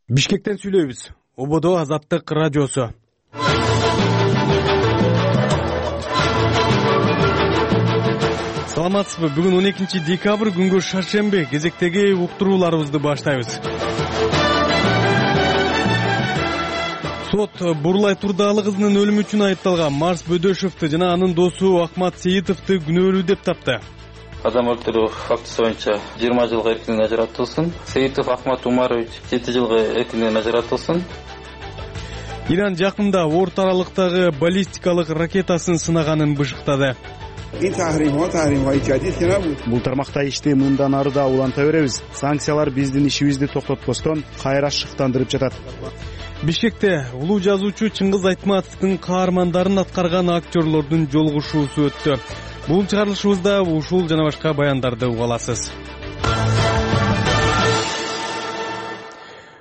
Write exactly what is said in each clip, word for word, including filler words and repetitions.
Бишкектен сүйлөйбүз. Ободо Азаттык радиосу. Саламатсызбы? Бүгүн он экинчи декабрь күнгө шаршемби. Кезектеги уктурууларыбызды баштайбыз. Сот Бурлай Турдаалы кызынын өлүмү үчүн айыпталган Марс Бөдөшевди жана анын досу Акмат Сейитовду күнөөлүү деп тапты. Адам өлтүрүү фактысы боюнча жыйырма жылга эркинен ажыратылсын. Сейитов Ахмат Умарович жети жылга эркинен ажыратылсын. Иран жакында орто аралыктагы баллистикалык ракетасын сынаганын бышыктады. Бул тармакта ишти мындан ары да уланта беребиз. Санкциялар биздин ишибизди токтотпостон кайра шыктандырып жатат. Бишкекте улуу жазуучу Чыңгыз Айтматовдун каармандарын аткарган актерлордун жолугушуусу өттү. Бул чыгарылышыбызда ушул жана башка баяндарды уга аласыз.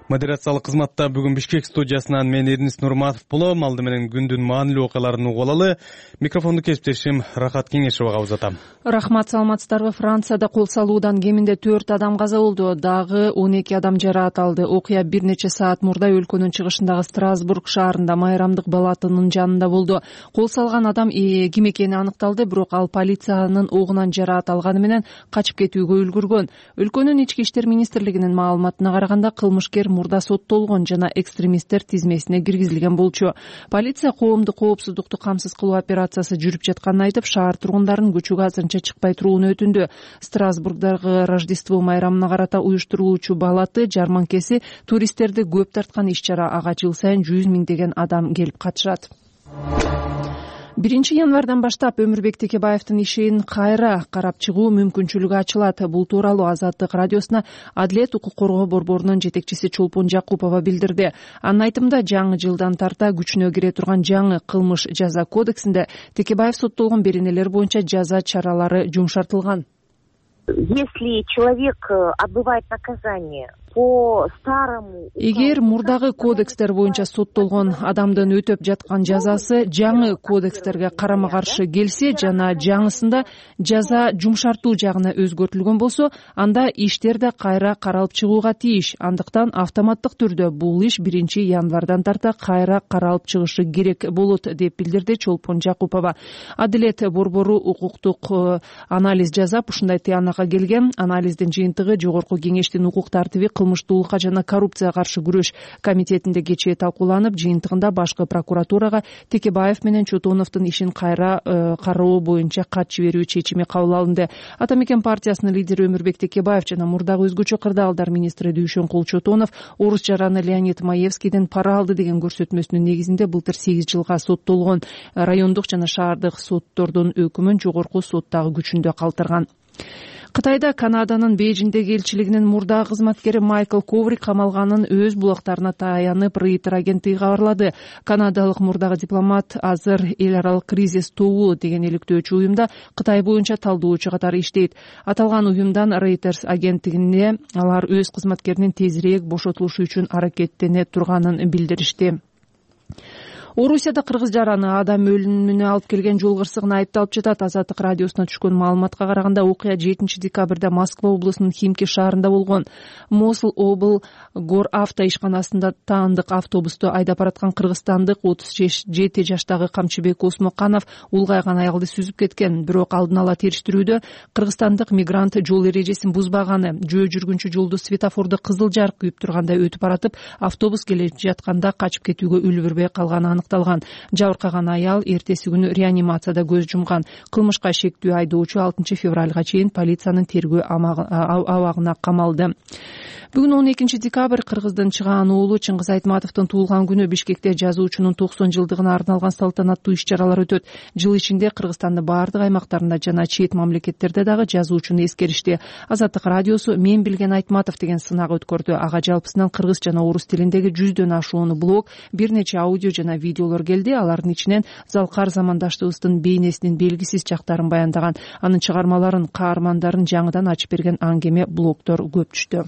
Модерациялык кызматта бүгүн Бишкек студиясынан мен Эрнис Нурматов болом. Алды менен күндүн маанилүү окуяларын угуп алалы. Микрофонду кесиптешим Рахат Кеңешовага узатам. Рахмат, саламатсыздарбы? Францияда кол салуудан кеминде төрт адам каза болду, дагы он эки адам жараат алды. Окуя бир нече саат мурда өлкөнүн чыгышындагы Страсбург шаарында майрамдык балатынын жанында болду. Кол салган адам ким экени аныкталды, бирок ал полициянын огунан жараат алганы менен качып кетүүгө үлгүргөн. Өлкөнүн ички иштер министрлигинин маалыматына караганда кылмышкер мурда соттолгон жана экстремисттер тизмесине киргизилген болчу. Полиция коомдук коопсуздукту камсыз кылуу операциясы жүрүп жатканын айтып, шаар тургундарын көчөгө азырынча чыкпай турууну өтүндү. Страсбургдагы Рождество майрамына карата уюштурулуучу балаты жарманкеси туристтерди көп тарткан иш-чара. Ага жыл сайын жүз миңдеген адам келип катышат. биринчи январдан баштап Өмүрбек Текебаевдин ишин кайра карап чыгуу мүмкүнчүлүгү ачылат. Бул тууралуу Азаттык радиосуна Адилет укук коргоо борборунун жетекчиси Чолпон Жакупова билдирди. Анын айтымында, жаңы жылдан тарта күчүнө кире турган жаңы кылмыш жаза кодексинде Текебаев соттолгон беренелер боюнча жаза чаралары жумшартылган. Если человек отбывает наказание по старому... Эгер мурдагы кодекстер боюнча соттолгон адамдын өтөп жаткан жазасы жаңы кодекстерге карама-каршы келсе жана жаңысында жаза жумшартуу жагына өзгөртүлгөн болсо, анда иштер да кайра каралып чыгууга тийиш. Андыктан автоматтык түрдө бул иш биринчи январдан тарта кайра каралып чыгышы керек болот, деп билдирди Чолпон Жакупова. Адилет борбору укуктук анализ жасап, ушундай тыянакка келген. Анализдин жыйынтыгы Жогорку кеңештин укук тартиби, кылмыштуулукка жана коррупцияга каршы күрөш комитетинде кечээ талкууланып, жыйынтыгында башкы прокуратурага Текебаев менен Чотоновдун ишин кайра кароо боюнча кат жиберүү чечими кабыл алынды. Ата Мекен партиясынын лидери Өмүрбек Текебаев жана мурдагы өзгөчө кырдаалдар министри Дүйшөнкул Чотонов орус жараны Леонид Маевскийден пара алды деген көрсөтмөсүнүн негизинде былтыр сегиз жылга соттолгон. Райондук жана шаардык соттордун өкүмүн жогорку сот дагы күчүндө калтырган. Кытайда Канаданын Бейжиңдеги элчилигинин мурдагы кызматкери Майкл Коврик камалганын өз булактарына таянып Рейтер агенттиги кабарлады. Канадалык мурдагы дипломат азыр эл аралык кризис тобу деген иликтөөчү уюмда Кытай боюнча талдоочу катары иштейт. Аталган уюмдан Reuters агенттигине алар өз кызматкеринин тезирээк бошотулушу үчүн аракеттене турганын билдиришти. Орусияда кыргыз жараны адам өлүмүнө алып келген жол кырсыгына айыпталып жатат. Азаттык радиосуна түшкөн маалыматка караганда, окуя жетинчи декабрда Москва облусунун Химки шаарында болгон. Мосул обл Гор авто ишканасында таандык автобусту айдап бараткан кыргызстандык отуз жети жаштагы Камчыбек Осмоканов улгайган аялды сүзүп кеткен. Бирок алдын ала териштирүүдө кыргызстандык мигрант жол эрежесин бузбаганы, жөө жүргүнчү жолду светофордо кызыл жарык күйүп турганда өтүп баратып, автобус келе жатканда качып кетүүгө үлгүрбөй калганы аныкталган. Жабыркаган аял эртеси күнү реанимацияда көз жумган. Кылмышка шектүү айдоочу алтынчы февралга чейин полициянын тергөө абагына камалды. Бүгүн он экинчи декабрь кыргыздын чыгаан уулу Чыңгыз Айтматовдун туулган күнү. Бишкекте жазуучунун токсон жылдыгына арналган салтанаттуу иш-чаралар өтөт. Жыл ичинде Кыргызстандын баардык аймактарында жана чет мамлекеттерде дагы жазуучуну эскеришти. Азаттык радиосу Мен билген Айтматов деген сынак өткөрдү. Ага жалпысынан кыргыз жана орус тилиндеги жүздөн ашуун блог, бир нече аудио жана видеолор келди. Алардын ичинен Залкар замандаштыбыздын бейнесинин белгисиз жактарын баяндаган, анын чыгармаларын, каармандарын жаңыдан ачып берген аңгеме блогдор көп түштү.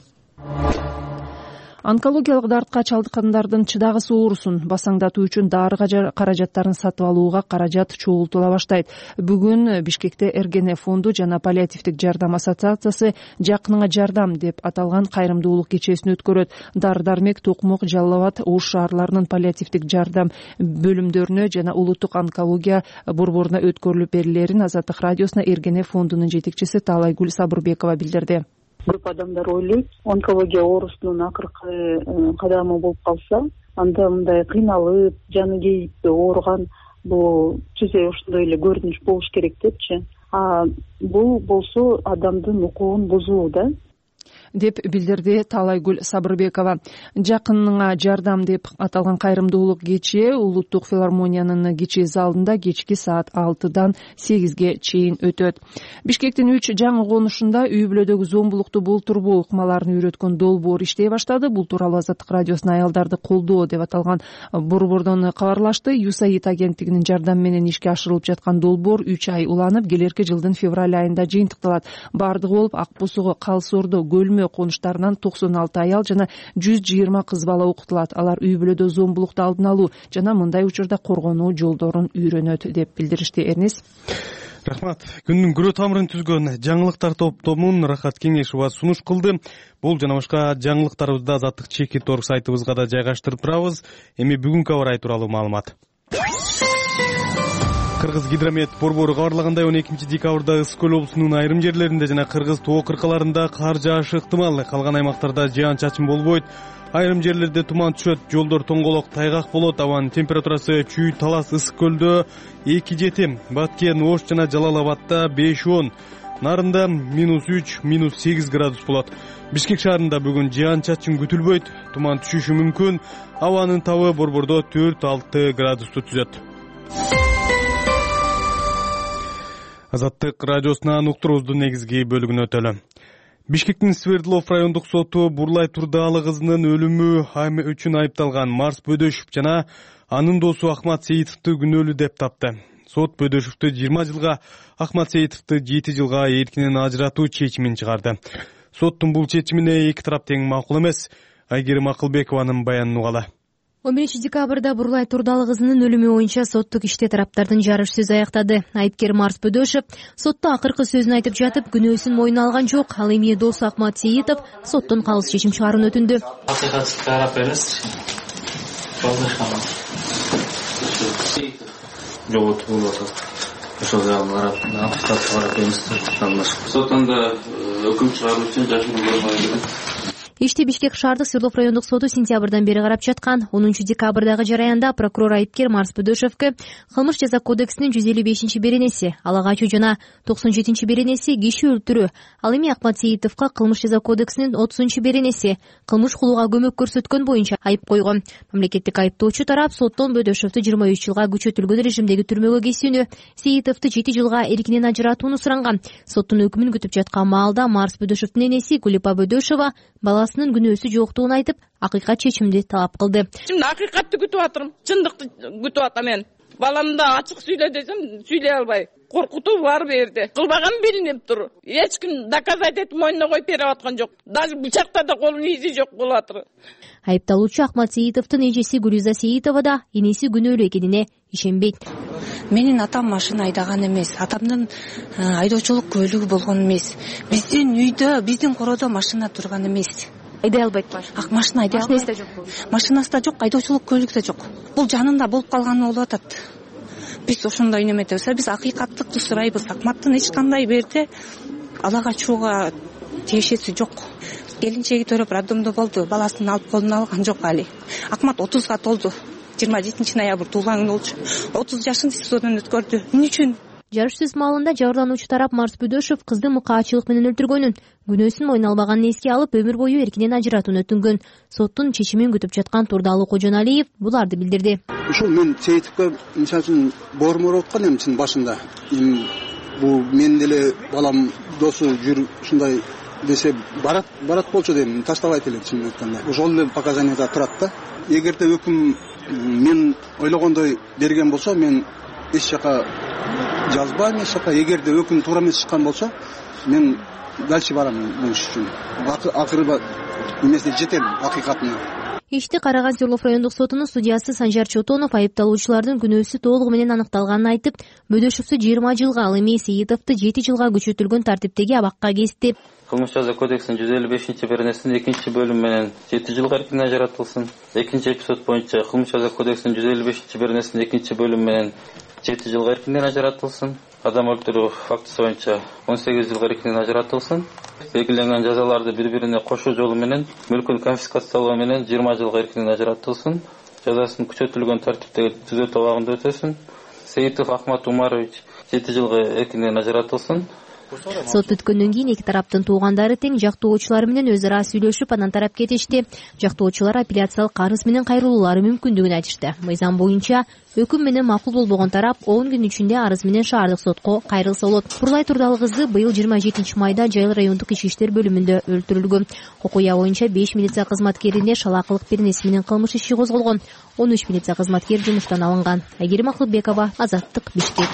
Онкологиялык дартка чалдыккандардын чыдагысы оорусун басаңдатуу үчүн дары каражаттарын сатып алууга каражат чогултула баштайт. Бүгүн Бишкекте Эргене фонду жана паллиативдик жардам ассоциациясы «Жакыныңа жардам» деп аталган кайрымдуулук кечесин өткөрөт. Дары дармек Токмок, Жалал Абад, Ош шаарларынын паллиативдик жардам бөлүмдөрүнө жана улуттук онкология борборуна өткөрүлүп берилерин Азаттык радиосуна Эргене фондунун жетекчиси Таалайгүл Сабырбекова билдирди. Көп адамдар ойлойт, онкология оорусунун акыркы кадамы болуп калса, анда мындай кыйналып, жаны кейип ооруган бул түзө ошондой эле көрүнүш болуш керек депчи. А бул болсо адамдын укугун бузуу да. деп билдирди Таалайгүл Сабырбекова. Жакыныңа жардам деп аталган кайрымдуулук кечээ улуттук филармониянын кичи залында кечки саат алтыдан сегизге чейин өтөт. Бишкектин үч жаңы конушунда үй бүлөдөгү зомбулукту болтурбоо ыкмаларын үйрөткөн долбоор иштей баштады. Бул тууралуу Азаттык радиосуна аялдарды колдоо деп аталган борбордон кабарлашты. ЮСАИД агенттигинин жардамы менен ишке ашырылып жаткан долбоор үч ай уланып, келерки жылдын февраль айында жыйынтыкталат. Бардыгы болуп Ак Бусугу, Калсоордо, Көлмө конуштарынан токсон алты аял жана жүз жыйырма кыз бала окутулат. Алар үй бүлөдө зомбулукту алдын алуу жана мындай учурда коргонуу жолдорун үйрөнөт деп билдиришти. Эрнис. Рахмат. Күндүн күрө тамырын түзгөн жаңылыктар топтомун Рахат Кеңешова сунуш кылды. Бул жана башка жаңылыктарыбызды Азаттык чекит точка орг сайтыбызга да жайгаштырып турабыз. Эми бүгүнкү аба ырайы тууралуу маалымат. Кыргыз гидромет борбору кабарлагандай он экинчи декабрда Ысык Көл облусунун айрым жерлеринде жана Кыргыз тоо кыркаларында кар жаашы ыктымал. Калган аймактарда жаан-чачын болбойт. Айрым жерлерде туман түшөт, жолдор тоңголок, тайгак болот. Абанын температурасы Чүй, Талас, Ысык Көлдө эки жети, Баткен, Ош жана Жалал Абадта беш он, Нарында минус үч, минус сегиз градус болот. Бишкек шаарында бүгүн жаан-чачын күтүлбөйт, туман түшүшү мүмкүн. Абанын табы борбордо төрт алты градусту түзөт. Азаттык радиосунан уктуруубуздун негизги бөлүгүнө өтөлү. Бишкектин Свердлов райондук соту Бурлай Турдаалы кызынын өлүмү үчүн айыпталган Марс Бөдөшов жана анын досу Ахмат Сейитовду күнөөлүү деп тапты. Сот Бөдөшовду жыйырма жылга, Ахмат Сейитовду жети жылга эркинен ажыратуу чечимин чыгарды. Соттун бул чечимине эки тарап тең макул эмес. Айгерим Акылбекованын баянын угалы. он биринчи декабрда Бурлай Турдаалы кызынын өлүмү боюнча соттук иште тараптардын жарыш сөзү аяктады. Айыпкер Марс Бөдөшов сотто акыркы сөзүн айтып жатып, күнөөсүн мойнуна алган жок. Ал эми досу Ахмат Сейитов соттон калыс чечим чыгарууну өтүндү. Акыйкатты карап бериңиз. Жоготуп болуп атат. Ошол жагын карап, акыйкатты карап бериңиз. Соттунда өкүм чыгаруу үчүн жашыруу болбойт. Ишти Бишкек шаардык Свердлов райондук соту сентябрдан бери карап жаткан. онунчу декабрдагы жараянда прокурор айыпкер Марс Бөдөшовго кылмыш жаза кодексинин жүз элүү бешинчи беренеси, ала качуу жана токсон жетинчи беренеси киши өлтүрүү, ал эми Ахмат Сейитовго кылмыш жаза кодексинин отузунчу беренеси, кылмыш кылууга көмөк көрсөткөн боюнча айып койгон. Мамлекеттик айыптоочу тарап соттон Бөдөшовду жыйырма үч жылга күчөтүлгөн режимдеги түрмөгө кесүүнү, Сейитовду жети жылга эркинен ажыратууну суранган. Соттун өкүмүн күтүп жаткан маалда Марс Бөдөшовдун энеси Гүлипа Бөдөшова баласынын күнөөсү жоктугун айтып, акыйкат чечимди талап кылды. Чын акыйкатты күтүп атырмын, чындыкты күтүп атам мен. Баламды да ачык сүйлө десем, сүйлөй албай. Коркутуу бар бу жерде. Кылбаган билинип тур. Эч ким доказать этип мойнуна коюп берип аткан жок. Даже бычакта да колунун изи жок болуп атыр. Айыпталуучу Ахмат Сейитовдун эжеси Гүлүза Сейитова да энеси күнөөлүү экенине ишенбейт. Менин атам машина айдаган эмес, атамдын айдоочулук көлүгү болгон эмес. Биздин үйдө, биздин короодо машина турган эмес. Айдай албайт машина. Ак машина айдай албайт. Машинасы да жок. Машинасы да жок, айдоочулук көлүгү да жок. Бул жанында болуп калганы болуп атат. Биз ошондой неметебиз, биз акыйкаттыкты сурайбыз. Акматтын эч кандай берде ала качууга тиешеси жок. Келинчеги төрөп роддомдо болду, баласын алып колуна алган жок али. Акмат отузга толду. жыйырма жетинчи ноябрь туулган күнү болчу. отуз жашын СИЗОдон өткөрдү. Эмне үчүн? Жарыш сөз маалында жабырлануучу тарап Марс Бөдөшов кызды мыкаачылык менен өлтүргөнүн, күнөөсүн мойнуна албаганын эске алып, өмүр бою эркинен ажыратууну өтүнгөн. Соттун чечимин күтүп жаткан Турдаалы Кожоналиев буларды билдирди. Ушул мен Сейитовго мисалы үчүн боормор аткан эми чын башында. Эми бул мен деле балам досу жүр ушундай десе барат барат болчу дейм, таштабайт эле чынын айтканда. Ошол эле показанияда турат да. Эгерде өкүм мен ойлогондой берген болсо, мен эч жака жазбайм, эч жака. Эгерде өкүм туура эмес чыккан болсо, мен дальше барам бул иш үчүн. Акыры эмесине жетем акыйкатына. Ишти караган Свердлов райондук сотунун судьясы Санжар Чотонов айыпталуучулардын күнөөсү толугу менен аныкталганын айтып, Бөдөшевду жыйырма жылга, ал эми Сейитовду жети жылга күчөтүлгөн тартиптеги абакка кести. Кылмыш жаза кодексинин жүз элүү бешинчи беренесинин экинчи бөлүмү менен жети жылга эркинден ажыратылсын. Экинчи эпизод боюнча Кылмыш жаза кодексинин жүз элүү бешинчи беренесинин экинчи бөлүмү менен жети жылга эркинден ажыратылсын. Адам өлтүрүү фактысы боюнча он сегиз жылга эркинден ажыратылсын. Белгиленген жазаларды бири-бирине кошуу жолу менен мүлкүн конфискациялоо менен жыйырма жылга эркинден ажыратылсын. Жазасын күчөтүлгөн тартиптеги түзөтүү абагында өтөсүн. Сейитов Ахмат Умарович жети жылга эркинден ажыратылсын. Сот бүткөндөн кийин эки тараптын туугандары тең жактоочулар менен өз ара сүйлөшүп, анан тарап кетишти. Жактоочулар апелляциялык арыз менен кайрылуулары мүмкүндүгүн айтышты. Мыйзам боюнча өкүм менен макул болбогон тарап он күн ичинде арыз менен шаардык сотко кайрылса болот. Курлай Турдалы кызы быйыл жыйырма жетинчи майда Жайыл райондук ички иштер бөлүмүндө өлтүрүлгөн. Окуя боюнча беш милиция кызматкерине шалаакылык беренеси менен кылмыш иши козголгон. он үч милиция кызматкери жумуштан алынган. Айгерим Акылбекова, Азаттык, Бишкек.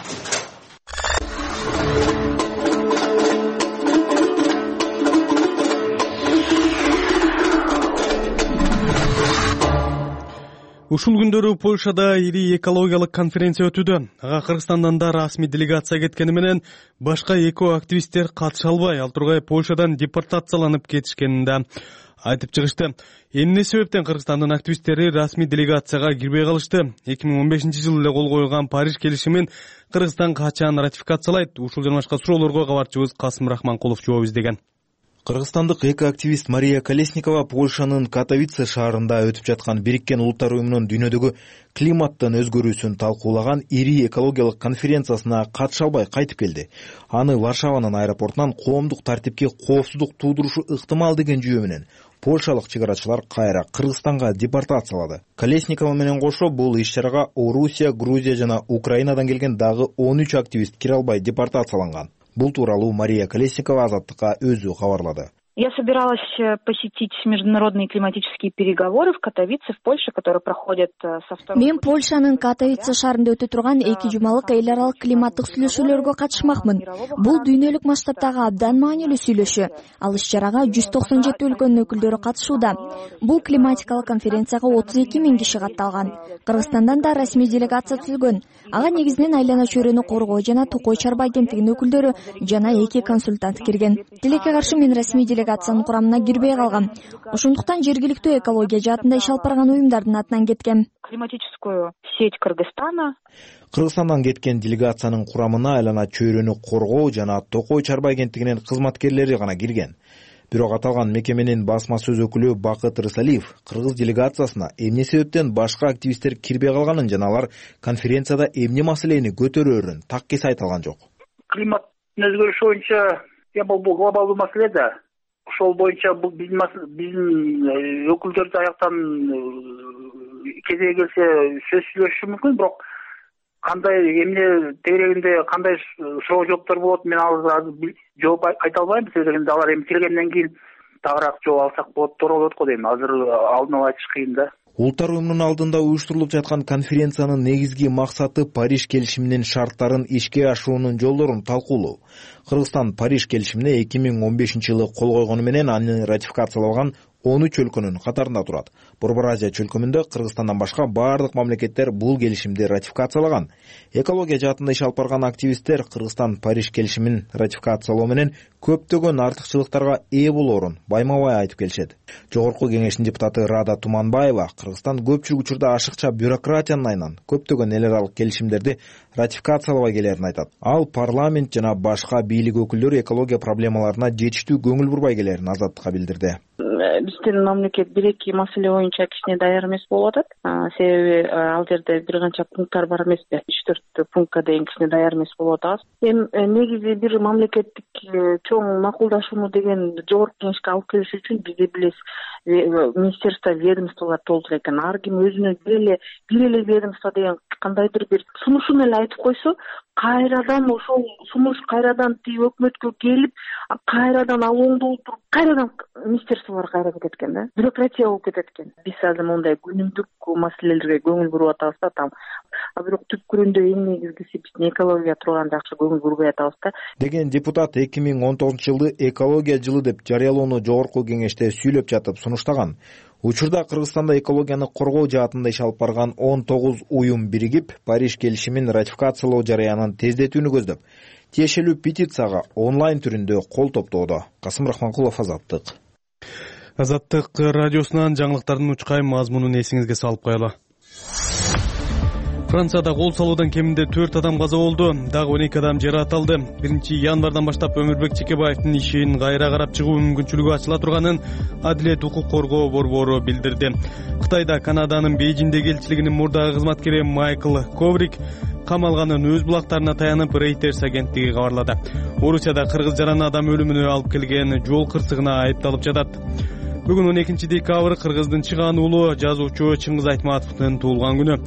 Ушул күндөрү Польшада ири экологиялык конференция өтүүдө. Ага Кыргызстандан да расмий делегация кеткени менен башка эко активисттер катыша албай, ал тургай Польшадан депортацияланып кетишкенин да айтып чыгышты. Эмне себептен Кыргызстандын активисттери расмий делегацияга кирбей калышты? эки миң он бешинчи жылы эле кол коюлган Париж келишимин Кыргызстан качан ратификациялайт? Ушул жана башка суроолорго кабарчыбыз Касым Рахманкулов жооп издеген. Кыргызстандык эко-активист Мария Колесникова Польшанын Катовице шаарында өтүп жаткан Бириккен Улуттар уюмунун дүйнөдөгү климаттын өзгөрүүсүн талкуулаган ири экологиялык конференциясына катыша албай кайтып келди. Аны Варшаванын аэропортунан коомдук тартипке коопсуздук туудурушу ыктымал деген жүйө менен польшалык чек арачылар кайра Кыргызстанга депортациялады. Колесникова менен кошо бул иш-чарага Орусия, Грузия жана Украинадан келген дагы он үч активист кире албай депортацияланган. Бул тууралуу Мария Колесникова Азаттыкка өзү кабарлады. Я собиралась посетить международные климатические переговоры в Катовице, в Польше, которые проходят со второго... Мен Польшанын Катовице шаарында өтө турган эки жумалык эл аралык климаттык сүйлөшүүлөргө катышмакмын. Бул дүйнөлүк масштабтагы абдан маанилүү сүйлөшүү. Ал иш-чарага жүз токсон жети өлкөнүн өкүлдөрү катышууда. Бул климатикалык конференцияга отуз эки миң киши катталган. Кыргызстандан да расмий делегация түзүлгөн. Ага негизинен айлана чөйрөнү коргоо жана Токой Чарба агенттигинин өкүлдөрү жана эки консультант кирген. Тилекке каршы мен расмий делегациянын курамына кирбей калгам. Ошондуктан жергиликтүү экология жаатында иш алып барган уюмдардын атынан кеткем. Климатическую сеть Кыргызстана. Кыргызстандан кеткен делегациянын курамына айлана чөйрөнү коргоо жана Токой Чарба агенттигинин кызматкерлери гана кирген. Бирок аталган мекеменин басма сөз өкүлү Бакыт Рысалиев кыргыз делегациясына эмне себептен башка активисттер кирбей калганын жана алар конференцияда эмне маселени көтөрөөрүн таккес айта алган жок. Климаттын өзгөрүшү боюнча бул глобалдуу маселе да. Ошол боюнча бул биздин биздин өкүлдөр аяктан кезеге келсе сөз сүйлөшүшү мүмкүн, бирок кандай эмне тегерегинде кандай суроо жооптор болот, мен азыр жооп айта албайм. Себеби алар эми келгенден кийин тагыраак жооп алсак болот, туура болот го дейм. Азыр алдын ала айтыш кыйын да. Улуттар уюмунун алдында уюштурулуп жаткан конференциянын негизги максаты Париж келишиминин шарттарын ишке ашуунун жолдорун талкуулоо. Кыргызстан Париж келишимине эки миң он бешинчи жылы кол койгону менен аны ратификацияланган он үч өлкөнүн катарында турат. Борбор Азия чөлкөмүндө Кыргызстандан башка бардык мамлекеттер бул келишимди ратификациялаган. Экология жаатында иш алып барган активисттер Кыргызстан Париж келишимин ратификациялоо менен көптөгөн артыкчылыктарга ээ болоорун байма-бай айтып келишет. Жогорку кеңештин депутаты Рада Туманбаева Кыргызстан көпчүлүк учурда ашыкча бюрократиянын айынан көптөгөн эл аралык келишимдерди ратификациялабай келерин айтат. Ал парламент жана башка бийлик өкүлдөрү экология проблемаларына жетиштүү көңүл бурбай келерин Азаттыкка билдирди. Биздин мамлекет бир-эки маселе боюнча кичине даяр эмес болуп атат. Себеби ал жерде бир канча пункттар бар эмеспи? үч төрт пунктка дейин кичине даяр эмес болуп атабыз. Эми негизи бир мамлекеттик чоң макулдашууну деген жогорку кеңешке алып келиш үчүн бизде билесиз, министерство, ведомстволор толтура экен. Ар ким өзүнө бир эле бир эле ведомство деген кандайдыр бир сунушун эле айтып койсо, кайрадан ошол сунуш кайрадан тиги өкмөткө келип, кайрадан ал оңдолтуруп, кайрадан министерстволор кайра кетет экен да. Бюрократия болуп кетет экен. Биз азыр мындай күнүмдүк маселелерге көңүл буруп атабыз да там. А бирок түпкүрүндө эң негизгиси биздин экологияга турган жакшы көңүл бурбай атабыз да. Деген депутат эки миң он тогузунчу жылды экология жылы деп жарыялоону жогорку кеңеште сүйлөп жатып сунуштаган. Учурда Кыргызстанда экологияны коргоо жаатында иш алып барган он тогуз уюм биригип, Париж келишимин ратификациялоо жарыянын тездетүүнү көздөп, тиешелүү петицияга онлайн түрүндө кол топтоодо. Касым Рахманкулов, Азаттык. Азаттык радиосунан жаңылыктардын учкай мазмунун эсиңизге салып коелу. Францияда кол салуудан кеминде төрт адам каза болду, дагы он эки адам жаракат алды. биринчи январдан баштап Өмүрбек Чекебаевдин ишин кайра карап чыгуу мүмкүнчүлүгү ачыла турганын Адилет укук коргоо борбору билдирди. Кытайда Канаданын Бейжиңдеги элчилигинин мурдагы кызматкери Майкл Коврик камалганын өз булактарына таянып Reuters агенттиги кабарлады. Орусияда кыргыз жараны адам өлүмүнө алып келген жол кырсыгына айыпталып жатат. Бүгүн он экинчи декабрь Кыргыздын чыгаан уулу жазуучу Чыңгыз Айтматовдун туулган күнү.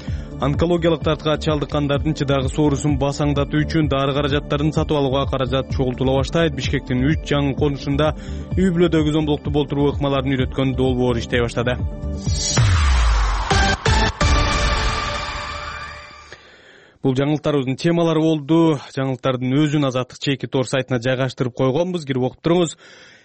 Онкологиялык дартка чалдыккандардын чыдагы соорусун басаңдатуу үчүн дары каражаттарын сатып алууга каражат чогултула баштайт. Бишкектин үч жаңы конушунда үй бүлөдөгү зомбулукту болтуруу ыкмаларын үйрөткөн долбоор иштей баштады. Бул жаңылыктарыбыздын темалары болду. Жаңылыктардын өзүн Азаттык чеки тор сайтына жайгаштырып койгонбуз. Кирип окуп туруңуз.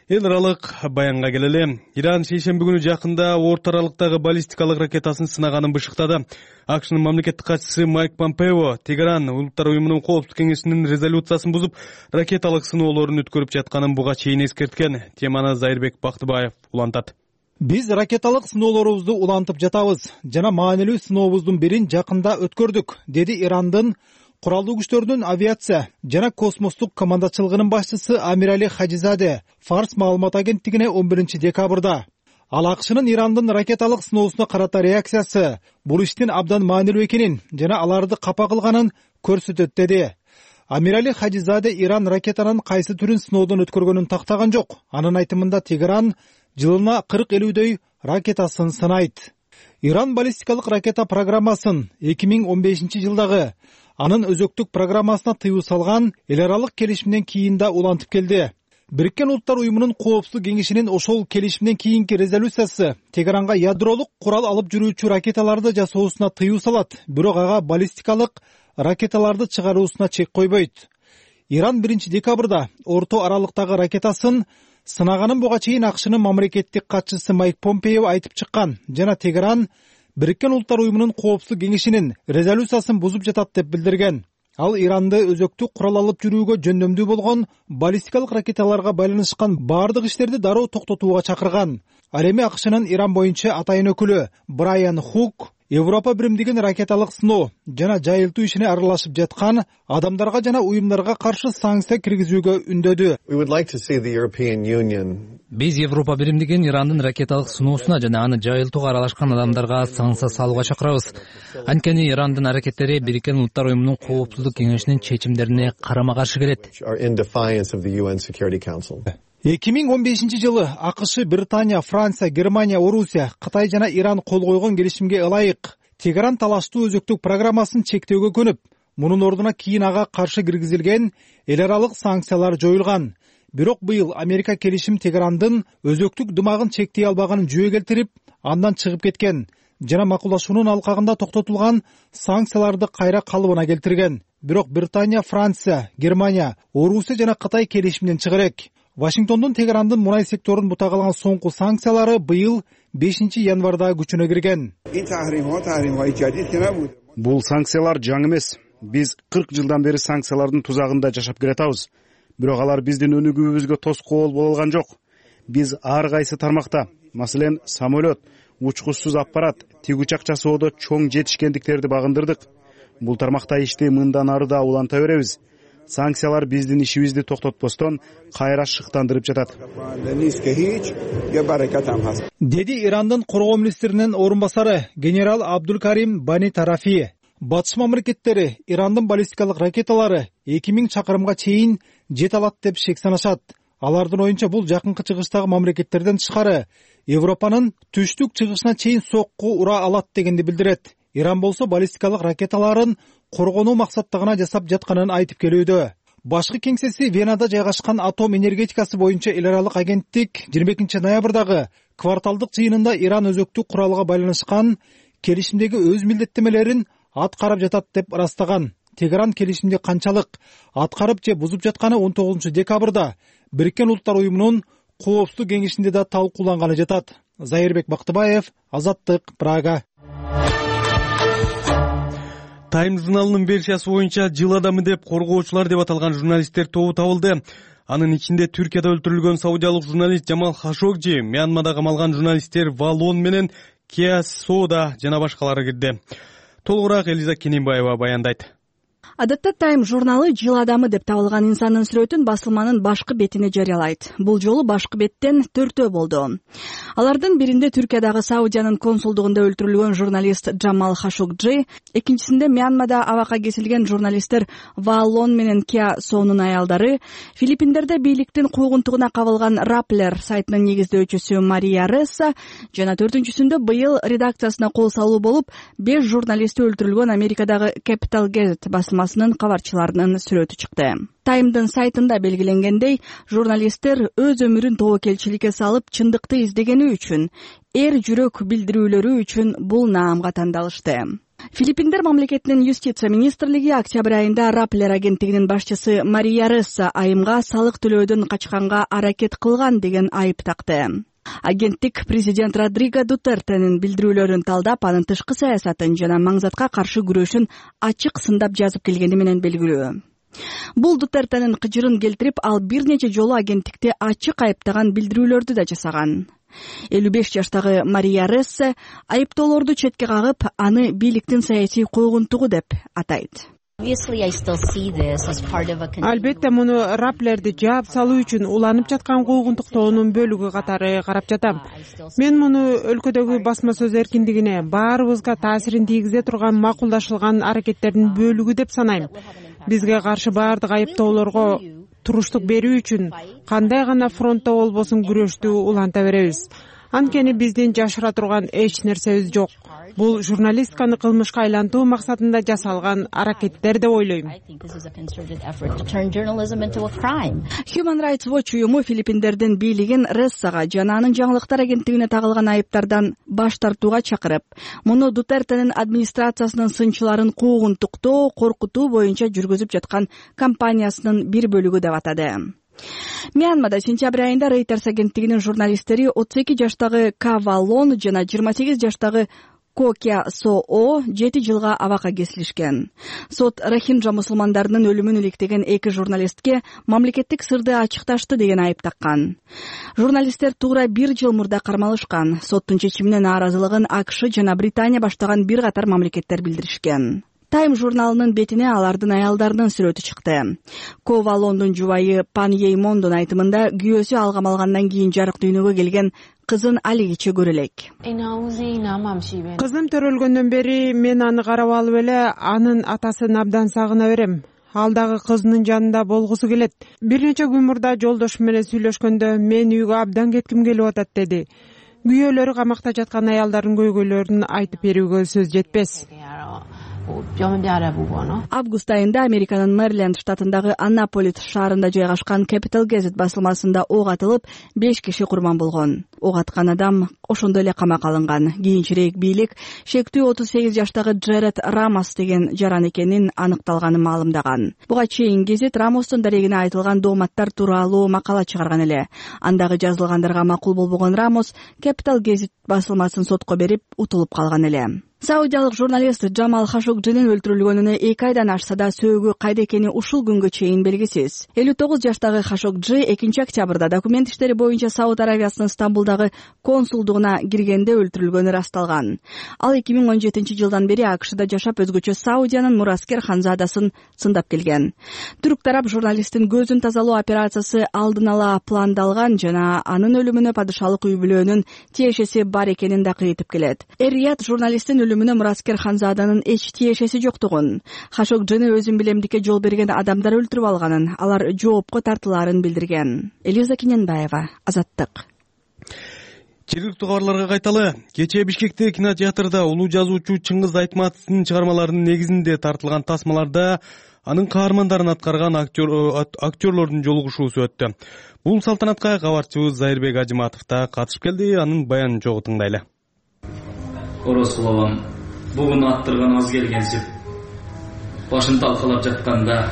Эл аралык баянга келели. Иран шейшемби күнү жакында орто аралыктагы баллистикалык ракетасын сынаганын бышыктады. АКШнын мамлекеттик катчысы Майк Помпео Тегеран Улуттар уюмунун коопсуздук кеңешинин резолюциясын бузуп, ракеталык сыноолорун өткөрүп жатканын буга чейин эскерткен. Теманы Зайырбек Бактыбаев улантат. Биз ракеталык сыноолорубузду улантып жатабыз жана маанилүү сынообуздун бирин жакында өткөрдүк, деди Ирандын Куралдуу күчтөрдүн авиация жана космостук командачылыгынын башчысы Амирали Хажизаде Фарс маалымат агенттигине он биринчи декабрда. Ал АКШнын Ирандын ракеталык сыноосуна карата реакциясы бул иштин абдан маанилүү экенин жана аларды капа кылганын көрсөтөт, деди. Амирали Хажизаде Иран ракетанын кайсы түрүн сыноодон өткөргөнүн тактаган жок. Анын айтымында Тегеран жылына кырк элүүдөй ракетасын сынайт. Иран баллистикалык ракета программасын эки миң он бешинчи жылдагы анын өзөктүк программасына тыюу салган эл аралык келишимден кийин да улантып келди. Бириккен Улуттар уюмунун коопсуздук кеңешинин ошол келишимден кийинки резолюциясы Тегеранга ядролук курал алып жүрүүчү ракеталарды жасоосуна тыюу салат, бирок ага баллистикалык ракеталарды чыгаруусуна чек койбойт. Иран биринчи декабрда орто аралыктагы ракетасын сынаганын буга чейин АКШнын мамлекеттик катчысы Майк Помпео айтып чыккан жана Тегеран Бириккен Улуттар уюмунун коопсуздук кеңешинин резолюциясын бузуп жатат деп билдирген. Ал Иранды өзөктүк курал алып жүрүүгө жөндөмдүү болгон баллистикалык ракеталарга байланышкан бардык иштерди дароо токтотууга чакырган. Ал эми АКШнын Иран боюнча атайын өкүлү Брайан Хук Европа биримдигин ракеталык сыноо жана жайылтуу ишине аралашып жаткан адамдарга жана уюмдарга каршы санкция киргизүүгө үндөдү. Биз Европа биримдигин Ирандын ракеталык сыноосуна жана аны жайылтууга аралашкан адамдарга санкция салууга чакырабыз. Анткени Ирандын аракеттери Бириккен Улуттар уюмунун коопсуздук кеңешинин чечимдерине карама каршы келет. эки миң он бешинчи жылы АКШ, Британия, Франция, Германия, Орусия, Кытай жана Иран кол койгон келишимге ылайык Тегеран талаштуу өзөктүк программасын чектөөгө көнүп, мунун ордуна кийин ага каршы киргизилген эл аралык санкциялар жоюлган. Бирок быйыл Америка келишим Тегерандын өзөктүк дымагын чектей албаганын жүйө келтирип, андан чыгып кеткен жана макулдашуунун алкагында токтотулган санкцияларды кайра калыбына келтирген. Бирок Британия, Франция, Германия, Орусия жана Кытай келишимден чыгарек. Вашингтондун Тегерандын мунай секторун бутагалаган соңку санкциялары быйыл бешинчи январда күчүнө кирген. Бул санкциялар жаңы эмес. Биз кырк жылдан бери санкциялардын тузагында жашап келатабыз. Бирок алар биздин өнүгүүбүзгө тоскоол боло алган жок. Биз ар кайсы тармакта, маселен, самолет, учкучсуз аппарат, тигүч акчасоодо чоң жетишкендиктерди багындырдык. Бул тармакта ишти мындан ары да уланта беребиз. Санкциялар биздин ишибизди токтотпостон кайра шыктандырып жатат, деди Ирандын коргоо министринин орун басары генерал Абдулкарим Бани Тарафи. Батыш мамлекеттери Ирандын баллистикалык ракеталары эки миң чакырымга чейин жете алат деп шек санашат. Алардын оюнча бул жакынкы чыгыштагы мамлекеттерден тышкары Европанын түштүк чыгышына чейин сокку ура алат дегенди билдирет. Иран болсо баллистикалык ракеталарын коргонуу максаттагына жасап жатканын айтып келүүдө. Башкы кеңсеси Венада жайгашкан атом энергетикасы боюнча эл аралык агенттик жыйырма экинчи ноябрдагы кварталдык жыйынында Иран өзөктүк куралга байланышкан келишимдеги өз милдеттемелерин аткарып жатат деп ырастаган. Тегеран келишимди канчалык аткарып же бузуп жатканы он тогузунчу декабрда Бириккен Улуттар уюмунун коопсуздук кеңешинде да талкууланганы жатат. Зайырбек Бактыбаев, Азаттык, Прага. Тайм журналынын версиясы боюнча жыл адамы деп коргоочулар деп аталган журналисттер тобу табылды. Анын ичинде Түркияда өлтүрүлгөн саудиялык журналист Жамал Хашогжи, Мьянмада камалган журналисттер Валон менен Кеа Сода жана башкалары кирди. Толугураак Элиза Кененбаева баяндайт. Адатта Тайм журналы жыл адамы деп табылган инсандын сүрөтүн басылманын башкы бетине жарыялайт. Бул жолу башкы беттен төртөө болду. Алардын биринде Түркиядагы Саудиянын консулдугунда өлтүрүлгөн журналист Джамал Хашогджи, экинчисинде Мьянмада абакка кесилген журналисттер Ваалон менен Кеа Сонун аялдары, Филиппиндерде бийликтин куугунтугуна кабылган Rappler сайтынын негиздөөчүсү Мария Ресса жана төртүнчүсүндө быйыл редакциясына кол салуу болуп, беш журналисти өлтүрүлгөн Америкадагы Capital Gazette басылмасынын кабарчыларынын сүрөтү чыкты. Таймдын сайтында белгиленгендей, журналисттер өз өмүрүн тобокелчиликке салып, чындыкты издегени үчүн, эр жүрөк билдирүүлөрү үчүн бул наамга тандалышты. Филиппиндер мамлекетинин юстиция министрлиги октябрь айында Rappler агенттигинин башчысы Мария Ресса айымга салык төлөөдөн качканга аракет кылган деген айып такты. Агенттик президент Родриго Дутертенин билдирүүлөрүн талдап, анын тышкы саясатын жана маңзатка каршы күрөшүн ачык сындап жазып келгени менен белгилүү. Бул Дутертенин кыжырын келтирип, ал бир нече жолу агенттикти ачык айыптаган билдирүүлөрдү да жасаган. элүү беш жаштагы Мария Рессе айыптоолорду четке кагып, аны бийликтин саясий куугунтугу деп атайт. Албетте муну Rapplerди жаап салуу үчүн уланып жаткан куугунтуктоонун бөлүгү катары карап жатам. Мен муну өлкөдөгү басма сөз эркиндигине, баарыбызга таасирин тийгизе турган макулдашылган аракеттердин бөлүгү деп санайм. Бизге каршы баардык айыптоолорго туруштук берүү үчүн кандай гана фронтто болбосун күрөштү уланта беребиз. Анткени биздин жашыра турган эч нерсебиз жок. Бул журналистканы кылмышка айлантуу максатында жасалган аракеттер деп ойлойм. Human Rights Watch уюму Филиппиндердин бийлигин Рессага жана анын жаңылыктар агенттигине тагылган айыптардан баш тартууга чакырып, муну Дутертенин администрациясынын сынчыларын куугунтуктоо, коркутуу боюнча жүргүзүп жаткан кампаниясынын бир бөлүгү деп атады. Мьянмада сентябрь айында Reuters агенттигинин журналисттери отуз эки жаштагы Ка Валон жана жыйырма сегиз жаштагы Ко Кеа Соо жети жылга абакка кесилишкен. Сот Рохинджа мусулмандарынын өлүмүн иликтеген эки журналистке мамлекеттик сырды ачыкташты деген айып таккан. Журналисттер туура бир жыл мурда кармалышкан. Соттун чечимине нааразылыгын АКШ жана Британия баштаган бир катар мамлекеттер билдиришкен. Тайм журналынын бетине алардын аялдарынын сүрөтү чыкты. Ко Валондун жубайы Пан Еймондун айтымында күйөөсү алгам алгандан кийин жарык дүйнөгө келген кызын алигиче көрө элек. Кызым төрөлгөндөн бери мен аны карап алып эле анын атасын абдан сагына берем. Ал дагы кызынын жанында болгусу келет. Бир нече күн мурда жолдошум менен сүйлөшкөндө мен үйгө абдан кетким келип атат деди. Күйөөлөрү камакта жаткан аялдардын көйгөйлөрүн айтып берүүгө сөз жетпес. Август айында Американын Мэриленд штатындагы Аннаполис шаарында жайгашкан Capital Gazette басылмасында ок атылып, беш киши курман болгон. Ок аткан адам ошондо эле камакка алынган. Кийинчерээк бийлик шектүү отуз сегиз жаштагы Джеред Рамос деген жаран экенин аныкталганын маалымдаган. Буга чейин гезит Рамостун дарегине айтылган дооматтар тууралуу макала чыгарган эле. Андагы жазылгандарга макул болбогон Рамос Capital Gazette басылмасын сотко берип, утулуп калган эле. Саудиялык журналист Джамал Хашогджинин өлтүрүлгөнүнө эки айдан ашса да сөөгү кайда экени ушул күнгө чейин белгисиз. элүү тогуз жаштагы Хашогджи экинчи октябрда документ иштери боюнча Сауд Аравиясынын Стамбулдагы консулдугуна киргенде өлтүрүлгөнү ырасталган. Ал эки миң он жетинчи жылдан бери АКШда жашап, өзгөчө Саудиянын Мураскер ханзадасын сындап келген. Түрк тарап журналисттин көзүн тазалоо операциясы алдын ала пландалган жана анын өлүмүнө падышалык үй бүлөөнүн тиешеси бар экенин да кыйтып келет. Эр-Рияд журналисттин өлүмүнө Мураскер ханзаданын эч тиешеси жоктугун, Хашогджини өзүн билемдикке жол берген адамдар өлтүрүп алганын, алар жоопко тартылаарын билдирген. Элиза Кененбаева, Азаттык. Жергиликтүү кабарларга кайталы. Кечээ Бишкекте кинотеатрда улуу жазуучу Чыңгыз Айтматовдун чыгармаларынын негизинде тартылган тасмаларда анын каармандарын аткарган актерлордун жолугушуусу өттү. Бул салтанатка кабарчыбыз Зайырбек Ажыматов да катышып келди. Анын баянын жогу тыңдайлы. Оросул абам бугун аттырган аз келгенсип, башын талкалап жатканда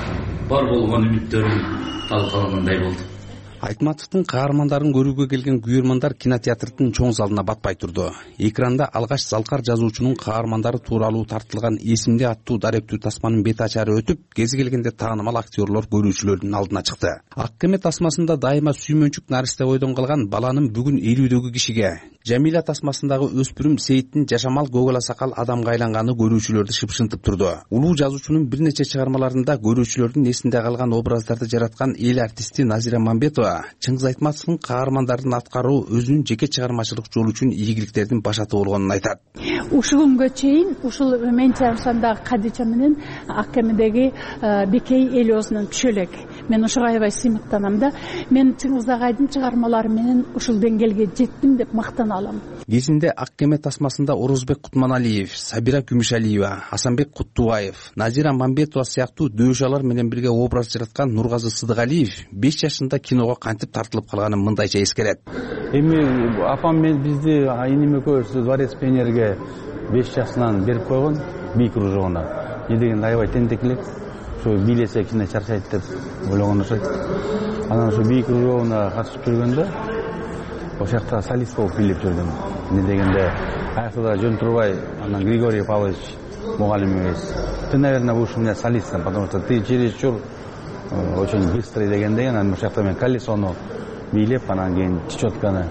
бар болгон үмүттөрүм талкалагандай болду. Айтматовдун каармандарын көрүүгө келген күйөрмандар кинотеатрдын чоң залына батпай турду. Экранда алгач залкар жазуучунун каармандары тууралуу тартылган эсимде аттуу даректүү тасманын бет ачары өтүп, кези келгенде таанымал актерлор көрүүчүлөрдүн алдына чыкты. Ак кеме тасмасында дайыма сүймөнчүк наристе бойдон калган баланын бүгүн элүүдөгү кишиге, Жамиля тасмасындагы өспүрүм Сейиттин жашамал көгола сакал адамга айланганы көрүүчүлөрдү шыпшынтып турду. Улуу жазуучунун бир нече чыгармаларында көрүүчүлөрдүн эсинде калган образдарды жараткан эл артисти Назира Мамбетова Чыңгыз Айтматовдун каармандарын аткаруу өзүнүн жеке чыгармачылык жолу үчүн ийгиликтердин башаты болгонун айтат. Ушул күнгө чейин ушул мен чыгарсамдагы Кадича менен Ак кемедеги Бекей Элиоснун түшө элек. Мен ошого аябай сыймыктанам да. Мен Чыңгыз агайдын чыгармалары менен ушул деңгээлге жеттим деп мактана алам. Кезинде Ак кеме тасмасында Орозбек Кутманалиев, Сабира Күмүшалиева, Асанбек Куттубаев, Назира Мамбетова сыяктуу дөөшалар менен бирге образ жараткан Нургазы Сыдыгалиев беш жашында киного кантип тартылып калганын мындайча эскерет. Эми апам мен бизди иним экөөбүздү дворец пионерге беш жашынан берип койгон, би кружогуна. Не дегенде аябай тентек элек. Ошо бийлесе кичине чарчайт деп ойлогон окшойт. Анан ошо би кружогуна катышып жүргөндө ошол жакта солист болуп бийлеп жүрдүм. Не дегенде аяктада жөн турбай, анан Григорий Павлович мугалимибиз: "Ты, наверное, будешь у меня солистом, потому что ты чересчур очень быстрый" дегенде, анан ошол жакта мен колесону бийлеп, анан кийин чечетканы,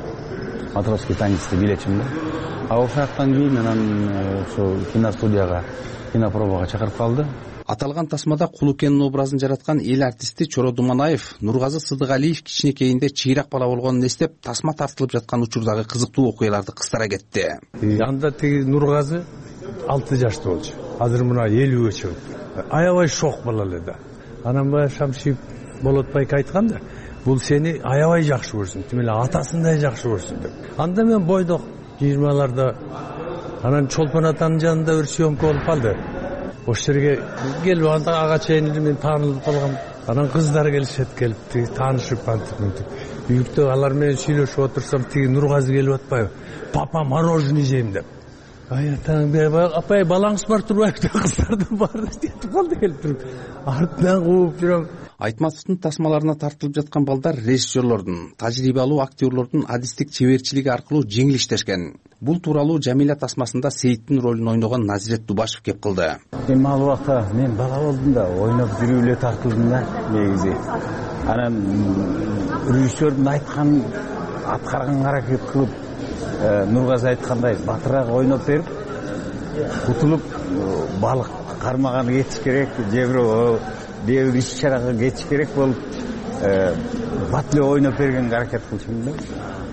матросский танецти бийлечим да. А ошол жактан кийин анан ошо киностудияга, кинопробага чакырып калды. Аталган тасмада Кулукенин образын жараткан эл артисти Чоро Думанаев Нургазы Сыдыгалиев кичинекейинде чыйрак бала болгонун эстеп, тасма тартылып жаткан учурдагы кызыктуу окуяларды кыстара кетти. Анда тиги Нургазы алты жашта болчу. Азыр мына элүүгө чыгып. Аябай шок бала эле да. Анан баягы Шамшиев Болотбайга айткан да, бул сени аябай жакшы көрсүн, тим эле атасындай жакшы көрсүн деп. Анда мен бойдок жыйырмаларда анан Чолпон атанын жанында бир съемка болуп калды. Ошол жерге келип анда ага чейин мен таанылып калгам. Анан кыздар келишет, келип тиги таанышып антип мынтип. Үйүктө алар менен сүйлөшүп отурсам, тиги Нургазы келип атпайбы? "Папа, мороженое жейм" деп. Ай атаң, апай балаңыз бар турбайбы деп кыздардын баары жетип калды келип туруп. Артынан кууп жүрөм. Айтматовдун тасмаларына тартылып жаткан балдар режиссерлордун, тажрыйба алуу актерлордун адистик чеберчилиги аркылуу жеңил иштешкен. Бул тууралуу Жамиля тасмасында Сейиттин ролун ойногон Назирет Дубашев кеп кылды. Эми ал убакта мен бала болдум да, ойноп жүрүп эле тартылдым да негизи. Анан режиссердун айтканын аткарганга аракет кылып, Нургазы айткандай батыраак ойноп берип, утулуп балык кармаганы кетиш керек, же бирөө бир иш-чарага кетиш керек болуп, батле ойноп бергенге аракет кылчумун да.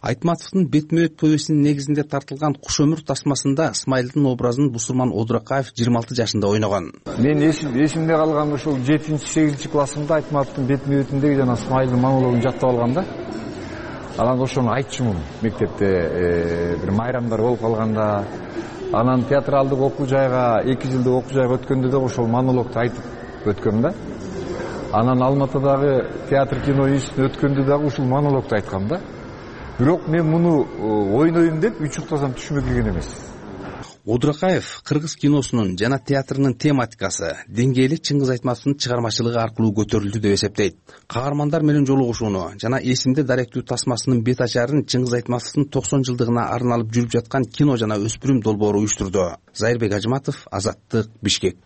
Айтматовдун бетме-бет повестинин негизинде тартылган Куш өмүр тасмасында Исмайылдын образын Бусурман Одуракаев жыйырма алты жашында ойногон. Мен эсимде калган ушул жетинчи сегизинчи классымда Айтматовдун бетме-бетиндеги жана Исмайылдын монологун жаттап алгам да. Анан ошону айтчумун мектепте бир майрамдар болуп калганда. Анан театралдык окуу жайга, эки жылдык окуу жайга өткөндө да ошол монологду айтып өткөм да. Анан Алматыдагы театр кино институтуна өткөндө дагы ушул монологду айткам да. Бирок мен муну ойнойм деп үчүктасам түшүмө кирген эмес. Одуракаев кыргыз киносунун жана театрынын тематикасы, деңгээли Чыңгыз Айтматовдун чыгармачылыгы аркылуу көтөрүлдү деп эсептейт. Каармандар менен жолугушууну жана эсимде даректүү тасмасынын бет ачарын Чыңгыз Айтматовдун токсон жылдыгына арналып жүрүп жаткан кино жана өспүрүм долбоору уюштурду. Зайырбек Ажыматов, Азаттык, Бишкек.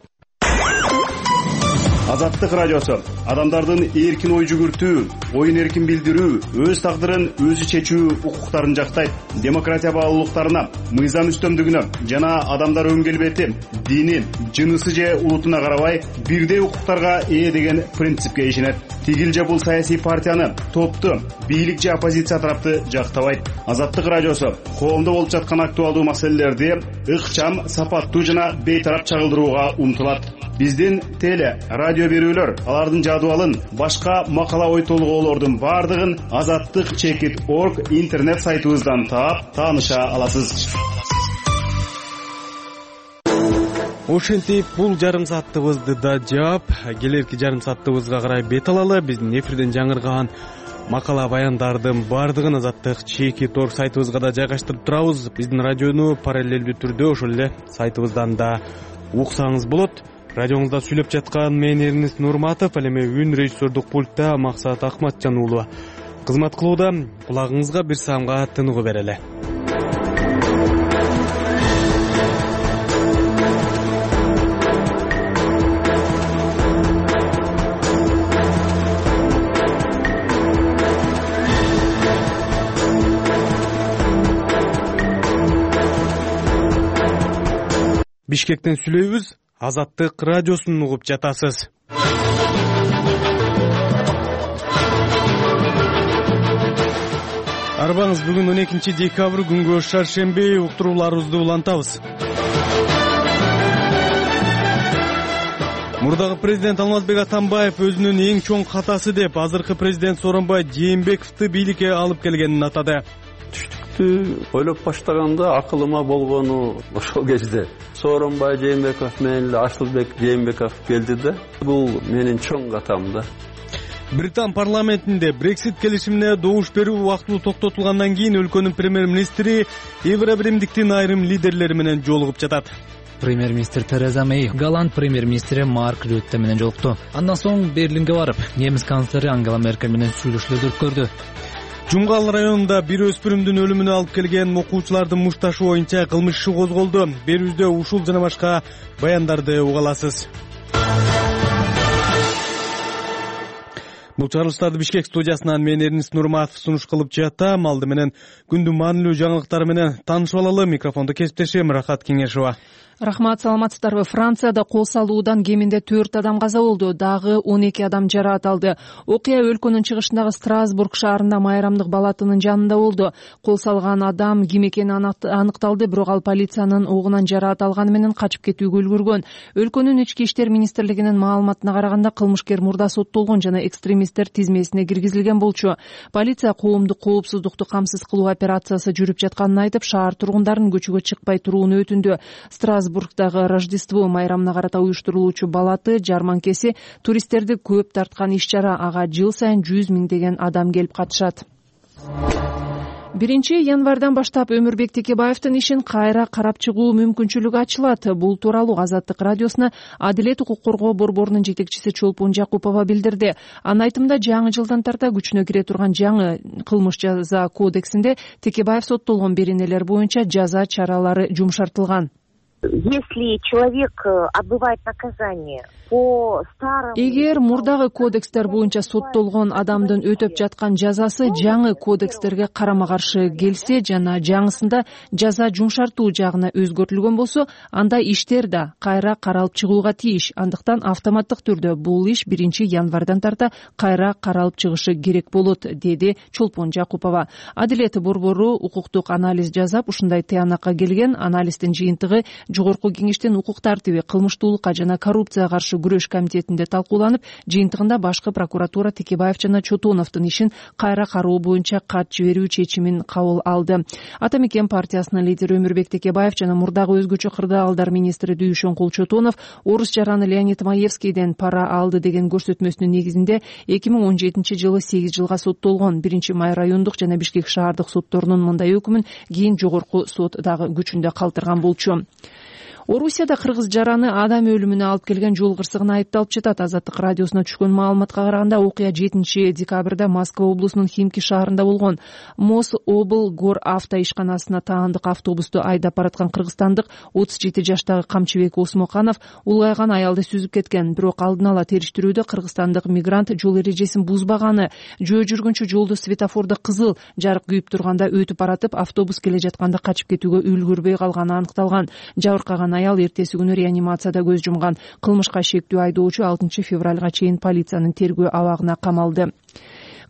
Азаттык радиосу адамдардын эркин ой жүгүртүү, оюн эркин билдирүү, өз тагдырын өзү чечүү укуктарын жактайт. Демократия баалуулуктарына, мыйзам үстөмдүгүнө жана адамдар өн келбети, дини, жынысы же улутуна карабай бирдей укуктарга ээ деген принципке ишенет. Тигил же бул саясий партияны, топту, бийлик же оппозиция тарапты жактабайт. Азаттык радиосу коомдо болуп жаткан актуалдуу маселелерди ыкчам, сапаттуу жана бейтарап чагылдырууга умтулат. биздин теле радио берүүлөр алардын жадыбалын башка макала ой толгоолордун баардыгын азаттык чекит орг интернет сайтыбыздан таап тааныша аласыз. Ошентип бул жарым сааттыбызды да жаап, келерки жарым сааттыбызга карай бет алалы. Биздин эфирден жаңырган макала баяндардын баардыгын азаттык чекит орг сайтыбызга да жайгаштырып турабыз. Биздин радиону параллелдүү түрдө ошол эле сайтыбыздан да уксаңыз болот. Радиоңузда сүйлөп жаткан мен Эрнест Нурматов, ал эми үн режиссердук пультта Максат Акматжан уулу кызмат кылууда. Кулагыңызга бир саамга тыныгуу берели. Бишкектен сүйлөйбүз, Азаттык радиосун угуп жатасыз. Арбаңыз, бүгүн он экинчи декабрь күнгө шаршемби, уктурууларыбызды улантабыз. Мурдагы президент Алмазбек Атамбаев өзүнүн эң чоң катасы деп азыркы президент Сооронбай Жээнбековду бийликке алып келгенин атады. Ойлоп баштаганда акылыма болгону ошол кезде Сооронбай Жээнбеков менен Ашылбек Жээнбеков келди да. Бул менин чоң катам да. Британ парламентинде Брексит келишимине добуш берүү убактылуу токтотулгандан кийин өлкөнүн премьер-министри Евробиримдиктин айрым лидерлери менен жолугуп жатат. Премьер-министр Тереза Мэй голланд премьер-министри Марк Рютте менен жолукту. Андан соң Берлинге барып, немис канцлери Ангела Меркель менен сүйлөшүүлөрдү өткөрдү. Жумгал районунда бир өспүрүмдүн өлүмүнө алып келген окуучулардын мушташы боюнча кылмыш иши козголду. Берүүбүздө ушул жана башка баяндарды уга аласыз. Бул чыгарылыштарды Бишкек студиясынан мен Эрнест Нурматов сунуш кылып жатам. Алды менен күндүн маанилүү жаңылыктары менен таанышып алалы. Микрофондо кесиптешим Рахат Кеңешова. Рахмат, саламатсыздарбы. Францияда кол салуудан кеминде төрт адам каза болду, дагы он эки адам жараат алды. Окуя өлкөнүн чыгышындагы Страсбург шаарында майрамдык балатынын жанында болду. Кол салган адам ким экени аныкталды, бирок ал полициянын огунан жараат алганы менен качып кетүүгө үлгүргөн. Өлкөнүн ички иштер министрлигинин маалыматына караганда кылмышкер мурда соттолгон жана экстремисттер тизмесине киргизилген болчу. Полиция коомдук коопсуздукту камсыз кылуу операциясы жүрүп жатканын айтып, шаар тургундарын көчөгө чыкпай турууну өтүндү. Страсбургдагы Рождество майрамына карата уюштурулуучу балаты жарманкеси туристтерди көп тарткан иш-чара. Ага жыл сайын жүз миңдеген адам келип катышат. биринчи январдан баштап Өмүрбек Текебаевдин ишин кайра карап чыгуу мүмкүнчүлүгү ачылат. Бул тууралуу Азаттык радиосуна Адилет укук коргоо борборунун жетекчиси Чолпон Жакупова билдирди. Анын айтымында, жаңы жылдан тарта күчүнө кире турган жаңы кылмыш жаза кодексинде Текебаев соттолгон беренелер боюнча жаза чаралары жумшартылган. Если человек отбывает наказание по старому... Эгер мурдагы кодекстер боюнча соттолгон адамдын өтөп жаткан жазасы жаңы кодекстерге карама-каршы келсе жана жаңысында жаза жумшартуу жагына өзгөртүлгөн болсо, анда иштер да кайра каралып чыгууга тийиш. Андыктан автоматтык түрдө бул иш биринчи январдан тарта кайра каралып чыгышы керек болот, деди Чолпон Жакупова. Адилет борбору укуктук анализ жасап, ушундай тыянакка келген. Анализдин жыйынтыгы Жогорку кеңештин укук тартиби, кылмыштуулукка жана коррупцияга каршы күрөш комитетинде талкууланып, жыйынтыгында башкы прокуратура Текебаев жана Чотоновдун ишин кайра кароо боюнча кат жиберүү чечимин кабыл алды. Ата Мекен партиясынын лидери Өмүрбек Текебаев жана мурдагы өзгөчө кырдаалдар министри Дүйшөнкул Чотонов орус жараны Леонид Маевскийден пара алды деген көрсөтмөсүнүн негизинде эки миң он жетинчи жылы сегиз жылга соттолгон. Биринчи май райондук жана Бишкек шаардык сотторунун мындай өкүмүн кийин жогорку сот дагы күчүндө калтырган болчу. Орусияда кыргыз жараны адам өлүмүнө алып келген жол кырсыгына айыпталып жатат. Азаттык радиосуна түшкөн маалыматка караганда, окуя жетинчи декабрда Москва облусунун Химки шаарында болгон. Мос обл гор авто ишканасына таандык автобусту айдап бараткан кыргызстандык отуз жети жаштагы Камчыбек Осмоканов улгайган аялды сүзүп кеткен. Бирок алдын ала териштирүүдө кыргызстандык мигрант жол эрежесин бузбаганы, жөө жүргүнчү жолду светофордо кызыл жарык күйүп турганда өтүп баратып, автобус келе жатканда качып кетүүгө үлгүрбөй калганы аныкталган. Жабыркаган аял эртеси күнү реанимацияда көз жумган. Кылмышка шектүү айдоочу алтынчы февралга чейин полициянын тергөө абагына камалды.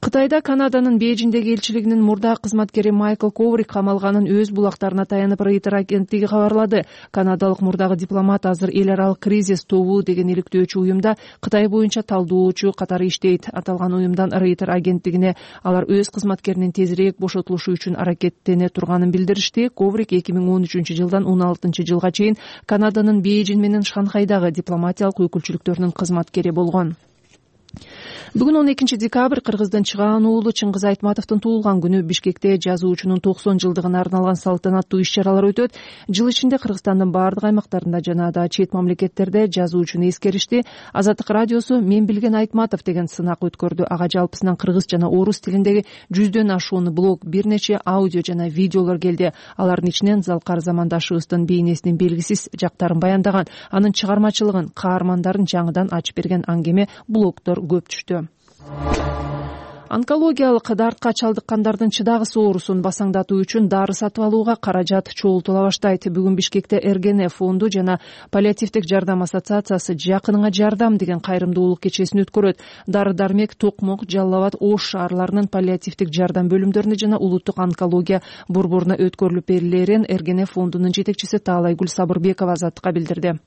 Кытайда Канаданын Бейжиңдеги элчилигинин мурдагы кызматкери Майкл Коврик камалганын өз булактарына таянып Рейтер агенттиги кабарлады. Канадалык мурдагы дипломат азыр эл аралык кризис тобу деген иликтөөчү уюмда Кытай боюнча талдоочу катары иштейт. Аталган уюмдан Рейтер агенттигине алар өз кызматкеринин тезирээк бошотулушу үчүн аракеттене турганын билдиришти. Коврик эки миң он үчүнчү жылдан он алтынчы жылга чейин Канаданын Бейжиң менен Шанхайдагы дипломатиялык өкүлчүлүктөрүнүн кызматкери болгон. Бүгүн он экинчи декабрь Кыргыздын чыгаан уулу Чыңгыз Айтматовдун туулган күнү. Бишкекте жазуучунун токсон жылдыгына арналган салтанаттуу иш-чаралар өтөт. Жыл ичинде Кыргызстандын бардык аймактарында жана да чет мамлекеттерде жазуучуну эскеришти. Азаттык радиосу «Мен билген Айтматов» деген сынак өткөрдү. Ага жалпысынан кыргыз жана орус тилиндеги жүздөн ашуун блог, бир нече аудио жана видеолор келди. Алардын ичинен Залкар замандашыбыздын бейнесинин белгисиз жактарын баяндаган, анын чыгармачылыгын, каармандарын жаңыдан ачып берген аңгеме, блогдор көп түштү. Онкологиялык дартка чалдыккандардын чыдагыс оорусун басаңдатуу үчүн дары сатып алууга каражат чогултула баштайт. Бүгүн Бишкекте эр гэ эн фонду жана Паллиативдик жардам ассоциациясы «Жакыныңа жардам» деген кайрымдуулук кечесин өткөрөт. Дары-дармек Токмок, Жалал Абад, Ош шаарларынын паллиативдик жардам бөлүмдөрүнө жана улуттук онкология борборуна өткөрүлүп берилерин эр гэ эн фондунун жетекчиси Таалайгүл Сабырбекова Азаттыкка билдирди.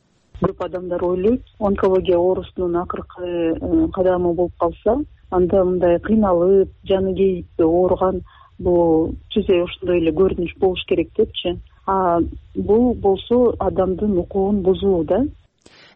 Көп адамдар ойлойт, онкология оорусунун акыркы кадамы болуп калса, анда мындай кыйналып, жаны кейип ооруган бул түзө ошондой эле көрүнүш болуш керек депчи. А бул болсо адамдын укугун бузуу да.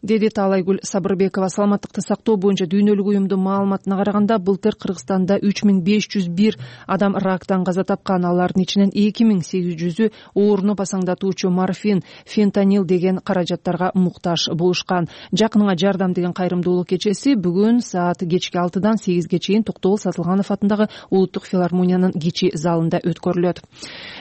Деди Таалайгүл Сабырбекова. Саламаттыкты сактоо боюнча дүйнөлүк уюмдун маалыматына караганда, былтыр Кыргызстанда үч миң беш жүз бир адам рактан каза тапкан. Алардын ичинен эки миң сегиз жүзү ооруну басаңдатуучу морфин, фентанил деген каражаттарга муктаж болушкан. Жакыныңа жардам деген кайрымдуулук кечеси бүгүн саат кечки алтыдан сегизге чейин Токтогул Сатылганов атындагы Улуттук филармониянын кичи залында өткөрүлөт.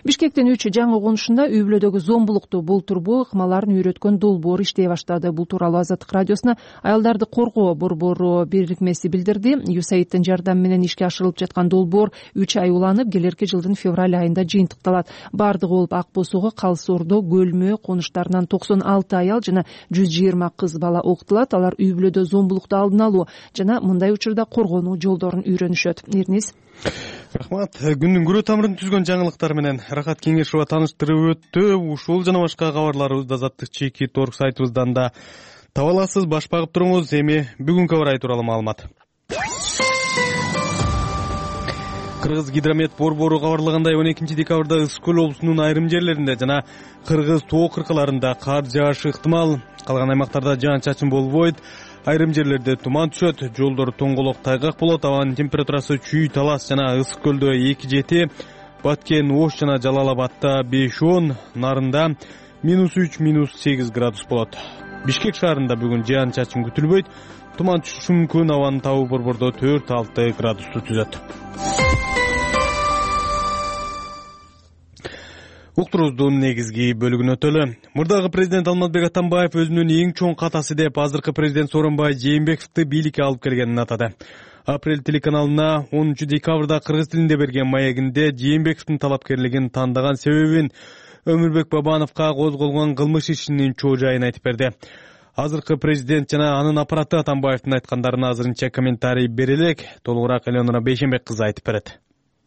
Бишкектин үч жаңы конушунда үй бүлөдөгү зомбулукту болтурбоо ыкмаларын үйрөткөн долбоор иштей баштады. Бул тууралуу Азаттык радиосуна аялдарды коргоо борбору бирикмеси билдирди. ю эс эй айдын жардамы менен ишке ашырылып жаткан долбоор үч ай уланып, келерки жылдын февраль айында жыйынтыкталат. Бардыгы болуп Ак Босого, Калыс Ордо, Көлмө конуштарынан токсон алты аял жана жүз жыйырма кыз бала окутулат. Алар үй бүлөдө зомбулукту алдын алуу жана мындай учурда коргонуу жолдорун үйрөнүшөт. Эрниз. Рахмат. Күндүн күрө тамырын түзгөн жаңылыктар менен Рахат Кеңешова тааныштырып өттү. Ушул жана башка кабарларыбызды Азаттык чеки торг сайтыбыздан да таба аласыз. Баш багып туруңуз. Эми бүгүнкү абар тууралуу маалымат. Кыргыз гидромет борбору кабарлагандай, он экинчи декабрда Ысык көл облусунун айрым жерлеринде жана Кыргыз тоо кыркаларында кар жаашы ыктымал. Калган аймактарда жаан-чачын болбойт. Айрым жерлерде туман түшөт, жолдор тоңголок тайгак болот. Абанын температурасы Чүй, Талас жана Ысык көлдө эки жети, Баткен, Ош жана Жалал Абадта беш он, Нарында минус үч, минус сегиз градус болот. Бишкек шаарында бүгүн жаан-чачын күтүлбөйт. Туман түшүшү мүмкүн. Абанын табы борбордо төрт алты градусту түзөт. Уктуруубуздун негизги бөлүгүнө өтөлү. Мурдагы президент Алмазбек Атамбаев өзүнүн эң чоң катасы деп азыркы президент Сооронбай Жээнбековду бийликке алып келгенин атады. Апрель телеканалына онунчу декабрда кыргыз тилинде берген маегинде Жээнбековдун талапкерлигин тандаган себебин Өмүрбек Бабановго козголгон кылмыш ишинин чоо жайын айтып берди. Азыркы президент жана анын аппараты Атамбаевдин айткандарына азырынча комментарий бере элек. Толугураак Элеонора Бейшенбек кызы айтып берет.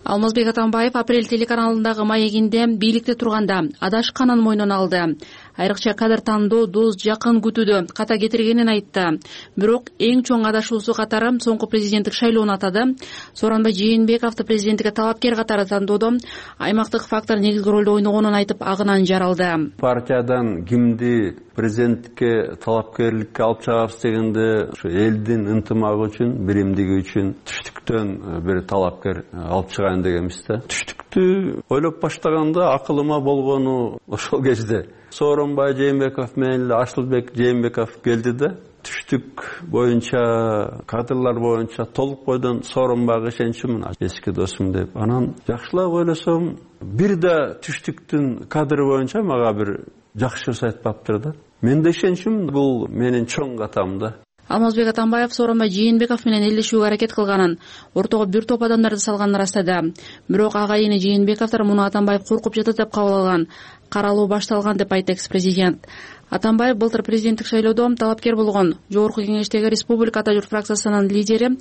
Алмазбек Атамбаев Апрель телеканалындагы маегинде бийликте турганда адашканын мойнуна алды. Айрыкча кадыр тандоо, дос, жакын күтүүдө ката кетиргенин айтты. Бирок эң чоң адашуусу катары соңку президенттик шайлоону атады. Сооронбай Жээнбековду президенттикке талапкер катары тандоодо аймактык фактор негизги ролду ойногонун айтып, агынан жаралды. Партиядан кимди президенттикке талапкерликке алып чыгабыз дегенде ушу элдин ынтымагы үчүн, биримдиги үчүн түштүктөн бир талапкер алып чыгайын дегенбиз да. Түштүктү ойлоп баштаганда акылыма болгону ошол кезде Сооронбай Жээнбеков менен Ашылбек Жээнбеков келди да, түштүк боюнча, кадрлар боюнча толук бойдон Сооронбайга ишенчимин, эски досум деп. Анан жакшылап ойлосом, бир да түштүктүн кадры боюнча мага бир жакшы сөз айтпаптыр да. Мен да ишенчимин, бул менин чоң катам да. Алмазбек Атамбаев Сооронбай Жээнбеков менен элдешүүгө аракет кылганын, ортого бир топ адамдарды салганын ырастады. Бирок агайыны Жээнбековдор муну Атамбаев коркуп жатат деп кабыл алган. Каралуу башталган деп айтты экс-президент. Атамбаев былтыр президенттик шайлоодо талапкер болгон жогорку кеңештеги Республика Ата журт фракциясынын лидери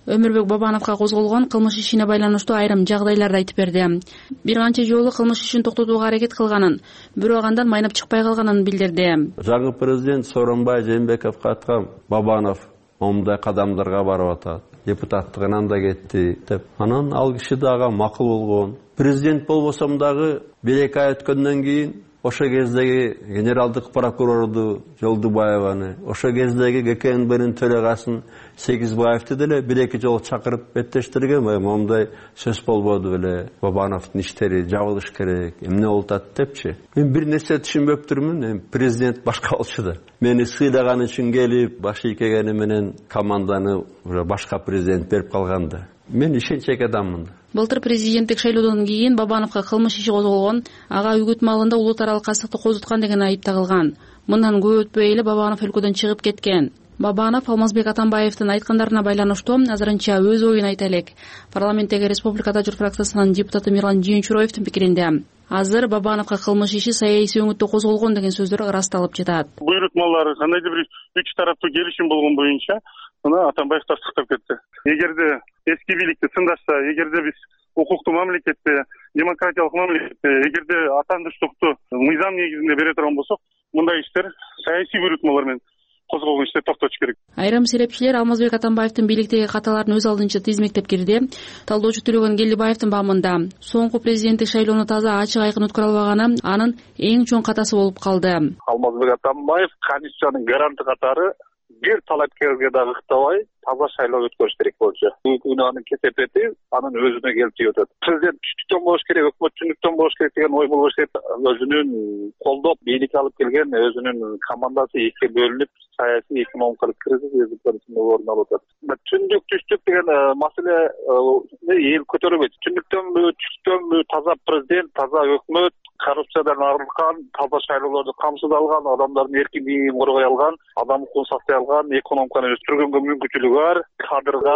Өмүрбек Бабановго козголгон кылмыш ишине байланыштуу айрым жагдайларды айтып берди. Бир канча жолу кылмыш ишин токтотууга аракет кылганын, бирок андан майнап чыкпай калганын билдирди. Жаңы президент Сооронбай Жээнбековго айткан, Бабанов момундай кадамдарга барып атат, депутаттыгынан да кетти деп. Анан ал киши дагы макул болгон. Президент болбосом дагы бир эки ай өткөндөн кийин ошо кездеги генералдык прокурорду Жолдубаеваны, ошо кездеги ГКНБнин төрагасын Сегизбаевди деле бир эки жолу чакырып беттештирген, момундай сөз болбоду беле, Бабановдун иштери жабылыш керек, эмне болуп атат депчи. Мен бир нерсе түшүнбөптүрмүн, эми президент башка болчу да. Мени сыйлаган үчүн келип, баш ийкегени менен команданы уже башка президент берип калганда. Мен ишенчек адаммын. Былтыр президенттик шайлоодон кийин Бабановго кылмыш иши козголгон, ага үгүт маалында улут аралык кастыкты козуткан деген айып тагылган. Мындан көп өтпөй эле Бабанов өлкөдөн чыгып кеткен. Бабанов Алмазбек Атамбаевдин айткандарына байланыштуу азырынча өз оюн айта элек. Парламенттеги Республика Ата журт фракциясынын депутаты Мирлан Жыйынчуроевдин пикиринде азыр Бабановго кылмыш иши саясий өңүттө козголгон деген сөздөр ырасталып жатат. Буйрутмалар кандайдыр бир үч тараптуу келишим болгон боюнча мына Атамбаев тастыктап кетти. Эгерде эски бийликти тыңдашса, эгерде биз укуктуу мамлекетте, демократиялык мамлекетте, эгерде атандыштыкты мыйзам негизинде бере турган болсок, мындай иштер саясий буйрутмалар менен козголгон иштер токтотуш керек. Айрым серепчилер Алмазбек Атамбаевдин бийликтеги каталарын өз алдынча тизмектеп кирди. Талдоочу Төлөгөн Келдибаевдин баамында соңку президенттик шайлоону таза ачык айкын өткөрө албаганы анын эң чоң катасы болуп калды. Алмазбек Атамбаев конституциянын гаранты катары бир талапкерге дагы ыктабай таза шайлоо өткөрүш керек болчу. Бүгүн анын кесепети анын өзүнө келип тийип атат. Президент түштүктөн болуш керек, өкмөт түндүктөн болуш керек деген ой болбош керек. Өзүнүн колдоп бийликке алып келген өзүнүн командасы экиге бөлүнүп, саясий экономикалык кризис өзүнүн орун алып атат. Түндүк түштүк деген маселе эл көтөрбөйт. Түндүктөнбү, түштүктөнбү таза президент, таза өкмөт, коррупциядан арылган, таза шайлоолорду камсыз алган, адамдардын эркиндигин коргой алган, адам укугун сактай алган, экономиканы өстүргөнгө мүмкүнчүлүгү бар, кадрга,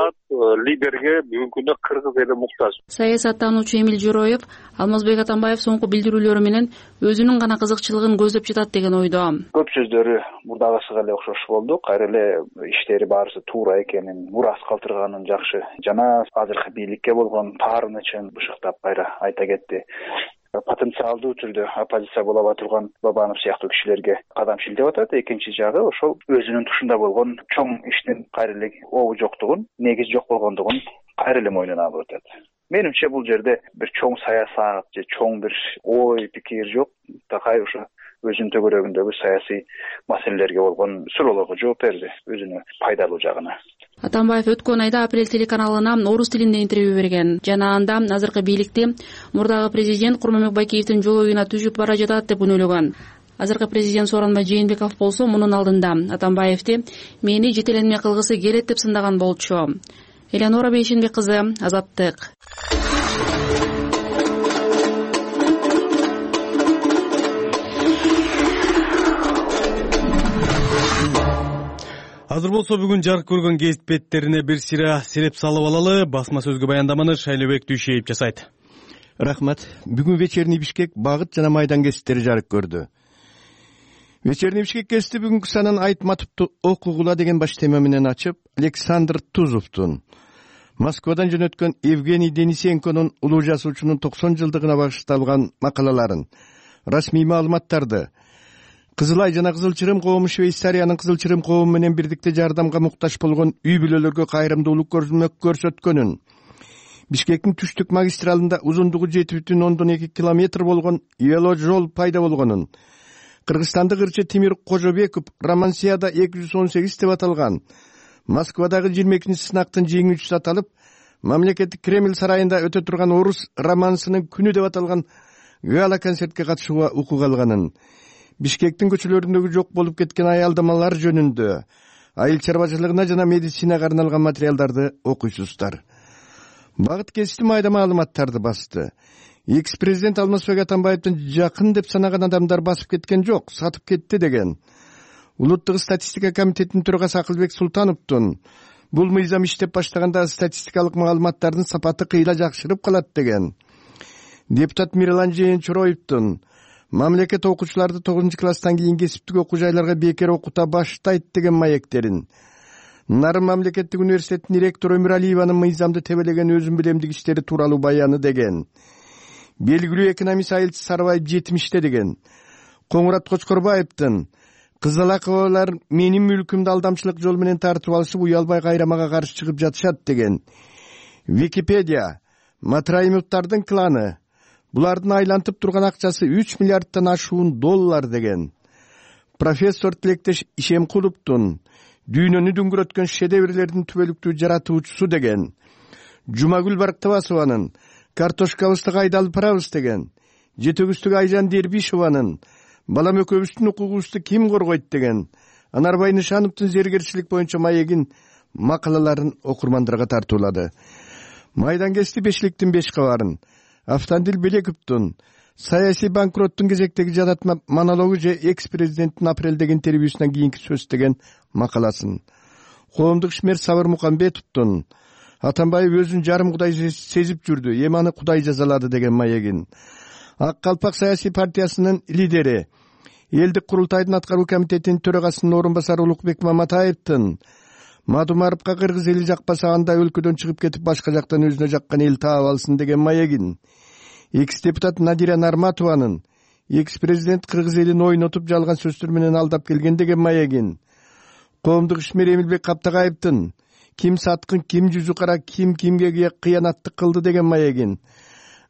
лидерге бүгүнкү күндө кыргыз эли муктаж. Саясаттануучу Эмил Жороев Алмазбек Атамбаев соңку билдирүүлөрү менен өзүнүн гана кызыкчылыгын көздөп жатат деген ойдо. Көп сөздөрү мурдагысыга эле окшош болду. Кайра эле иштери баарысы туура экенин, мурас калтырганын жакшы жана азыркы бийликке болгон таарынычын бышыктап кайра айта кетти. Потенциалдуу түрдө оппозиция боло ала турган Бабанов сыяктуу кишилерге кадам шилтеп атат. Экинчи жагы ошол өзүнүн тушунда болгон чоң иштин кайра эле обу жоктугун, негиз жок болгондугун кайра эле мойнуна алып атат. Менимче бул жерде бир чоң саясат же чоң бир ой пикир жок. Такай ошо өзүнүн төгөрөгүндөгү саясий маселелерге болгон суроолорго жооп берди, өзүнө пайдалуу жагына. Атамбаев өткөн айда Апрель телеканалына орус тилинде интервью берген. Жана анда азыркы бийликти мурдагы президент Курманбек Байкеевдин жол оюна түзүп бара жатат деп үнөлөгөн. Азыркы президент Сооронбай Жээнбеков болсо мунун алдында Атамбаевди мени жетеленме кылгысы келет деп сындаган болчу. Элеонора Бейшенбек кызы, Азаттык. Азыр болсо бүгүн жарык көргөн гезит беттерине бир сыйра сереп салып алалы. Басма сөзгө баяндаманы Шайлообек Дүйшеев жасайт. Рахмат. Бүгүн вечерний Бишкек багыт жана майдан гезиттери жарык көрдү. Вечерний Бишкек гезити бүгүнкү санын Айтматовду окугула деген баш тема менен ачып, Александр Тузовдун Москвадан жөнөткөн Евгений Денисенконун улуу жазуучунун токсон жылдыгына багышталган макалаларын, расмий маалыматтарды, Кызыл Ай жана Кызыл Чырым коому Швейцариянын Кызыл Чырым коому менен бирдикте жардамга муктаж болгон үй бүлөлөргө кайрымдуулук көрсөткөнүн, Бишкектин түштүк магистралында узундугу жети бүтүн ондон эки километр болгон вело жол пайда болгонун, кыргызстандык ырчы Тимир Кожобеков Романсияда эки жүз он сегиз деп аталган Москвадагы жыйырма экинчи сынактын жеңүүчүсү аталып, мамлекеттик Кремль сарайында өтө турган орус романсынын күнү деп аталган гала концертке катышууга укук алганын, Бишкектин көчөлөрүндөгү жок болуп кеткен аялдамалар жөнүндө, айыл чарбачылыгына жана медицинага арналган материалдарды окуйсуздар. Багыт гезити майда маалыматтарды басты. Экс-президент Алмазбек Атамбаевдин жакын деп санаган адамдар басып кеткен жок, сатып кетти деген. Улуттук статистика комитетинин төрагасы Акылбек Султановдун бул мыйзам иштеп баштаганда статистикалык маалыматтардын сапаты кыйла жакшырып калат деген. Депутат Мирлан Жыйынчуроевдун мамлекет окуучуларды тогузунчу класстан кийин кесиптик окуу жайларга бекер окута баштайт деген маектерин, Нарын мамлекеттик университетинин ректору Өмүралиеванын мыйзамды тебелеген өзүн билемдик иштери тууралуу баяны деген, белгилүү экономист Айылчы Сарыбаев жетимиште деген, Коңурат Кочкорбаевдин кызылакыбалар менин мүлкүмдү алдамчылык жол менен тартып алышып уялбай кайрамага каршы чыгып жатышат деген, Википедия Матраимовдардын кланы, булардын айлантып турган акчасы үч миллиардтан ашуун доллар деген, профессор Тилектеш Ишемкуловдун дүйнөнү дүңгүрөткөн шедеврлердин түбөлүктүү жаратуучусу деген, Жумагүл Барктыбасованын картошкабызды кайда алып барабыз деген, жетөгүздөгү Айжан Дербишованын балам экөөбүздүн укугубузду ким коргойт деген, Анарбай Нышановдун зергерчилик боюнча маегин макалаларын окурмандарга тартуулады. Майдангести бешликтин беш кабарын, Автандил Белековдун саясий банкроттун кезектеги жадатма монологу же экс-президенттин апрелдеги интервьюсунан кийинки сөз деген макаласын, коомдук ишмер Сабыр Мукамбетовдун Атамбаев өзүн жарым кудай сезип жүрдү, эми аны кудай жазалады деген маегин, Ак Калпак саясий партиясынын лидери, элдик курултайдын аткаруу комитетинин төрагасынын орун басары Улукбек Маматаевдин Мадумаровго кыргыз эли жакпаса анда өлкөдөн чыгып кетип башка жактан өзүнө жаккан эл таап алсын деген маегин, экс-депутат Надира Нарматованын экс-президент кыргыз элин ойнотуп жалган сөздөр менен алдап келген деген маегин, коомдук ишмер Эмилбек Каптагаевдин ким саткын, ким жүзү кара, ким кимге кыянаттык кылды деген маегин,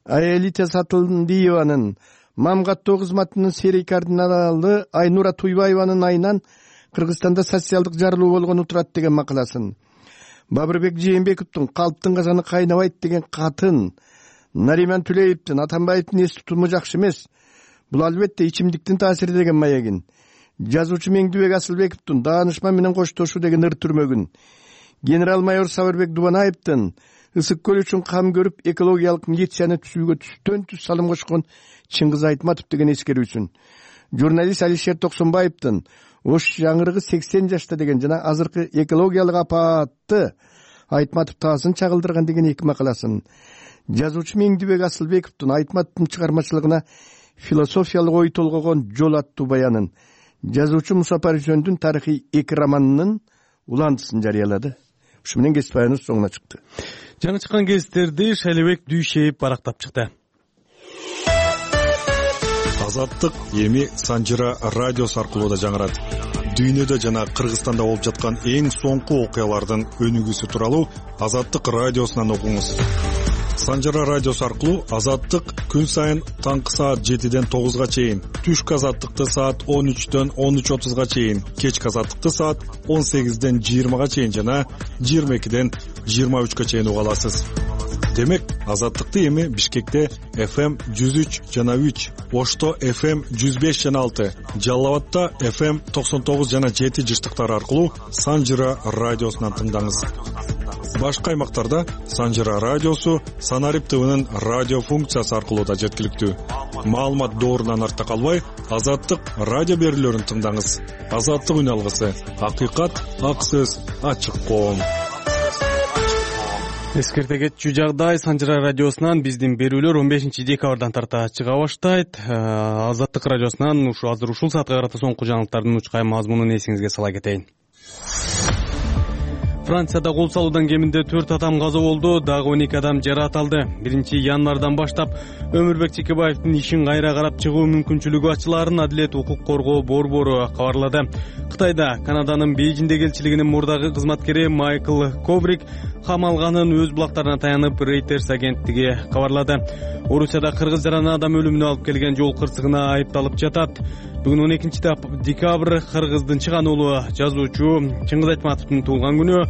Аэлита Сатылдиеванын мамгаттоо кызматынын серий кардиналы Айнура Туйбаеванын айынан Кыргызстанда социалдык жарылуу болгону турат деген макаласын, Бабырбек Жээнбековдун калптын казаны кайнабайт деген катын, Нариман Түлеевдин Атамбаевдин эс тутуму жакшы эмес, бул албетте ичимдиктин таасири деген маегин, жазуучу Меңдүбек Асылбековдун даанышман менен коштошуу деген ыр түрмөгүн, генерал-майор Сабырбек Дубанаевдин ысык көл үчүн кам көрүп экологиялык милицияны түзүүгө түстөн түз салым кошкон Чыңгыз Айтматов деген эскерүүсүн, журналист Алишер Токсонбаевдин Ош жаңырыгы сексен жашта деген жана азыркы экологиялык апаатты Айтматов таасын чагылдырган деген эки макаласын, жазуучу Меңдүбек Асылбековдун Айтматовдун чыгармачылыгына философиялык ой толгогон жол аттуу баянын, жазуучу Муса Парижөндүн тарыхый эки романынын уландысын жарыялады. Ушу менен кесип баяныбыз соңуна чыкты. Жаңы чыккан кесиптерди Шайлебек Дүйшеев барактап чыкты. Азаттык эми Санжыра радиосу аркылуу да жаңырат. Дүйнөдө жана Кыргызстанда болуп жаткан эң соңку окуялардын өнүгүүсү тууралуу Азаттык радиосунан окуңуз. Санжыра радиосу аркылуу Азаттык күн сайын таңкы саат жетиден тогузга чейин, түшкү Азаттыкты саат он үчтөн он үч отузга чейин, кечки Азаттыкты саат он сегизден жыйырмага чейин жана жыйырма экиден жыйырма үчкө чейин уга аласыз. Демек, Азаттыкты эми Бишкекте эф эм жүз үч жана үч, Ошто эф эм жүз беш жана алты, Жалал Абадта эф эм токсон тогуз жана жети жыштыктары аркылуу Санжыра радиосунан тыңдаңыз. Башка аймактарда Санжыра радиосу Санарип ТВнын радио функциясы аркылуу да жеткиликтүү. Маалымат доорунан артта калбай, Азаттык радио берүүлөрүн тыңдаңыз. Азаттык үн алгысы, акыйкат, ак сөз, ачык коом. Эскерте кетчү жагдай Санжыра радиосунан биздин берүүлөр он бешинчи декабрдан тарта чыга баштайт. Азаттык радиосунан ушу азыр ушул саатка карата соңку жаңылыктардын учкай мазмунун эсиңизге сала кетейин. Францияда кол салуудан кеминде төрт адам каза болду, дагы он эки адам жаракат алды. биринчи январдан баштап Өмүрбек Чекебаевдин ишин кайра карап чыгуу мүмкүнчүлүгү ачылаарын Адилет укук коргоо борбору кабарлады. Кытайда Канаданын Бейжиңдеги элчилигинин мурдагы кызматкери Майкл Коврик камалганын өз булактарына таянып Reuters агенттиги кабарлады. Орусияда кыргыз жараны адам өлүмүнө алып келген жол кырсыгына айыпталып жатат. Бүгүн он экинчи декабрь Кыргыздын чыган уулу жазуучу Чыңгыз Айтматовдун туулган күнү.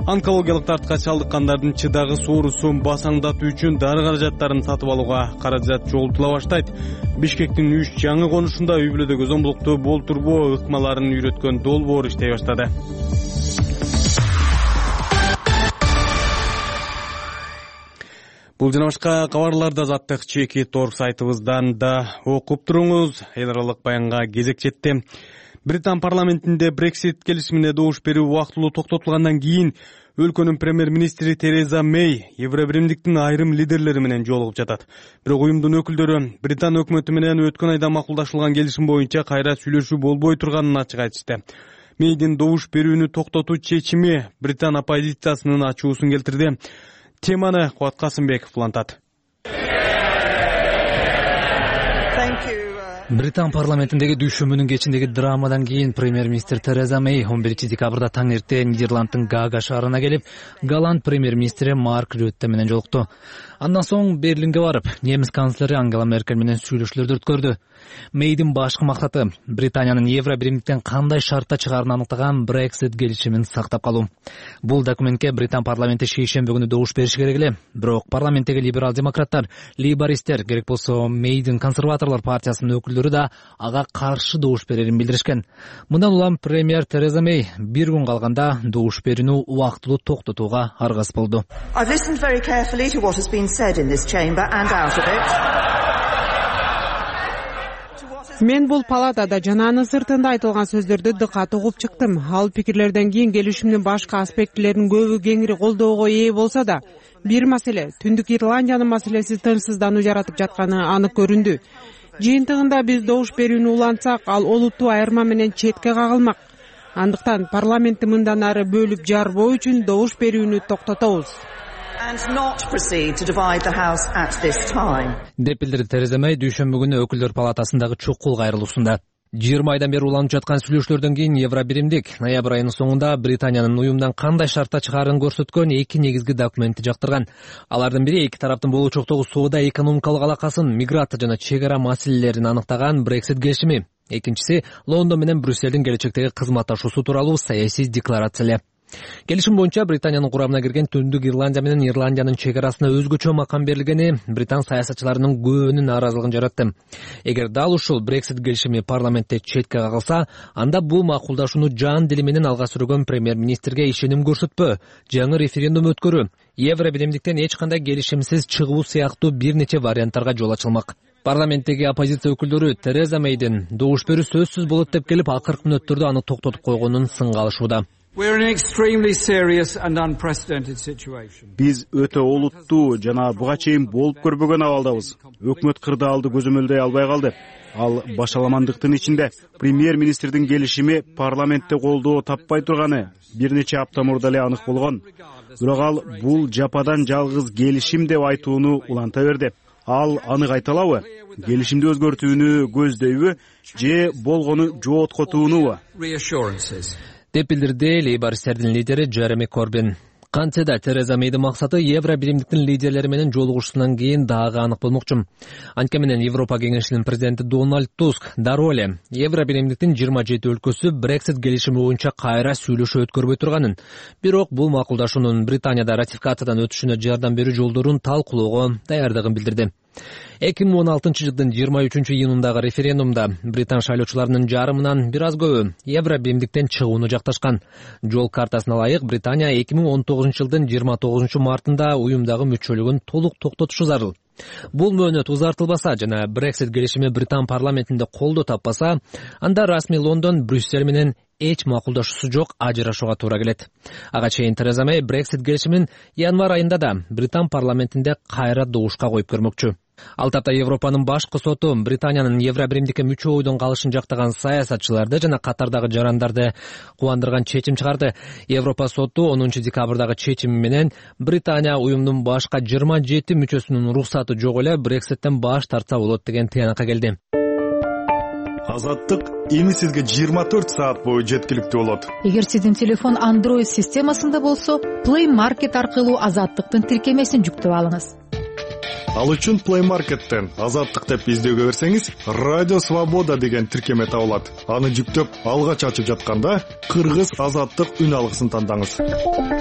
Онкологиялык дартка чалдыккандардын чыдагы соорусун басаңдатуу үчүн дары каражаттарын сатып алууга каражат жоготула баштайт. Бишкектин үч жаңы конушунда үй бүлөдөгү зомбулукту болтурбоо ыкмаларын үйрөткөн долбоор иштей баштады. Бул жана башка кабарларды Азаттык чеки торг сайтыбыздан да окуп туруңуз. Эл аралык баянга кезек жетти. Британ парламентинде Brexit келишимине добуш берүү убактылуу токтотулгандан кийин Өлкөнүн премьер-министри Тереза Мэй Евро биримдиктин айрым лидерлери менен жолугуп жатат. Бирок уюмдун өкүлдөрү Британ өкмөтү менен өткөн айда макулдашылган келишим боюнча кайра сүйлөшүү болбой турганын ачык айтышты. Мэйдин добуш берүүнү токтотуу чечими Британ оппозициясынын ачуусун келтирди. Теманы Кубат Касымбеков улантат. Британ парламентиндеги дүйшөмүнүн кечиндеги драмадан кийин премьер-министр Тереза Мэй он биринчи декабрда таң эрте Нидерланддын Гага шаарына келип, Голланд премьер-министри Марк Рютте менен жолукту. Андан соң Берлинге барып, немис канцлери Ангела Меркель менен сүйлөшүүлөрдү өткөрдү. Мэйдин башкы максаты Британиянын Евро биримдиктен кандай шартта чыгаарын аныктаган Brexit келишимин сактап калуу. Бул документке Британ парламенти шейшемби күнү добуш бериши керек эле. Бирок парламенттеги либерал-демократтар, лейбористтер, керек болсо Мэйдин консерваторлор партиясынын өкүлдөрү да ага каршы добуш берерин билдиришкен. Мындан улам премьер Тереза Мэй бир күн калганда добуш берүүнү убактылуу токтотууга аргасыз болду. Мен бул палатада жана анын сыртында айтылган сөздөрдү дыкат угуп чыктым. Ал пикирлерден кийин келишимдин башка аспектилерин көбү кеңири колдоого ээ болсо да, бир маселе Түндүк Ирландиянын маселеси тынчсыздануу жаратып жатканы анык көрүндү. Жыйынтыгында биз добуш берүүнү улантсак, ал олуттуу айырма менен четке кагылмак. Андыктан парламентти мындан ары бөлүп жарбоо үчүн добуш берүүнү токтотобуз. деп билдирди Тереза Мэй дүйшөмбү күнү өкүлдөр палатасындагы чукул кайрылуусунда. жыйырма айдан бери уланып жаткан сүйлөшүүлөрдөн кийин Евро биримдик ноябрь айынын соңунда Британиянын уюмдан кандай шартта чыгаарын көрсөткөн эки негизги документти жактырган. Алардын бири эки тараптын болочоктогу соода экономикалык алакасын, миграция жана чек ара маселелерин аныктаган Brexit келишими. Экинчиси Лондон менен Брюсселдин келечектеги кызматташуусу тууралуу саясий декларация. Келишим боюнча Британиянын курамына кирген Түндүк Ирландия менен Ирландиянын чек арасына өзгөчө макам берилгени Британ саясатчыларынын көбүнүн нааразылыгын жаратты. Эгер дал ушул Brexit келишими парламентте четке кагылса, анда бул макулдашууну жан дили менен алга сүргөн премьер-министрге ишеним көрсөтпөө, жаңы референдум өткөрүү, Евро биримдиктен эч кандай келишимсиз чыгуу сыяктуу бир нече варианттарга жол ачылмак. Парламенттеги оппозиция өкүлдөрү Тереза Мэйдин добуш берүү сөзсүз болот деп келип, акыркы мүнөттөрдө аны токтотуп койгонун сынга алышууда. Биз өтө олуттуу жана буга чейин болуп көрбөгөн абалдабыз. Өкмөт кырдаалды көзөмөлдөй албай калды. Ал башаламандыктын ичинде премьер-министрдин келишими парламентте колдоо таппай турганы бир нече апта мурда эле анык болгон. Бирок ал бул жападан жалгыз келишим деп айтууну уланта берди. Ал анык айта алабы? Келишимди өзгөртүүнү көздөйбү же болгону жооткотуунубу? деп билдирди лейбористтердин лидери Джереми Корбин. Кантсе да Тереза Мэйдин максаты Евро биримдиктин лидерлери менен жолугушуусунан кийин дагы анык болмокчу. Анткени менен Европа кеңешинин президенти Дональд Туск дароо эле Евро биримдиктин жыйырма жети өлкөсү Brexit келишими боюнча кайра сүйлөшүү өткөрбөй турганын, бирок бул макулдашуунун Британияда ратификациядан өтүшүнө жардам берүү жолдорун талкуулоого даярдыгын билдирди. эки миң он алтынчы жылдын жыйырма үчүнчү июнундагы референдумда Британ шайлоочуларынын жарымынан бир аз көбү Евро биримдиктен чыгууну жакташкан. Жол картасына ылайык Британия эки миң он тогузунчу жылдын жыйырма тогузунчу мартында уюмдагы мүчөлүгүн толук токтотушу зарыл. Бул мөөнөт узартылбаса жана Brexit келишими Британ парламентинде колдоо таппаса, анда расмий Лондон Брюссель менен эч макулдашуусу жок ажырашууга туура келет. Ага чейин Тереза Мэй Brexit келишимин январь айында да Британ парламентинде кайра добушка коюп көрмөкчү. Ал тапта Европанын башкы соту Британиянын Евро биримдикке мүчө бойдон калышын жактаган саясатчыларды жана катардагы жарандарды кубандырган чечим чыгарды. Европа соту онунчу декабрдагы чечими менен Британия уюмдун башка жыйырма жети мүчөсүнүн уруксаты жок эле Brexit'тен баш тартса болот деген тыянакка келди. Азаттык эми сизге жыйырма төрт саат бою жеткиликтүү болот. Эгер сиздин телефон Android системасында болсо, Play Market аркылуу Азаттыктын тиркемесин жүктөп алыңыз. Ал үчүн Play Market'тен Азаттык деп издөөгө берсеңиз, Радио Свобода деген тиркеме табылат. Аны жүктөп, алгач ачып жатканда Кыргыз Азаттык үн алгысын тандаңыз.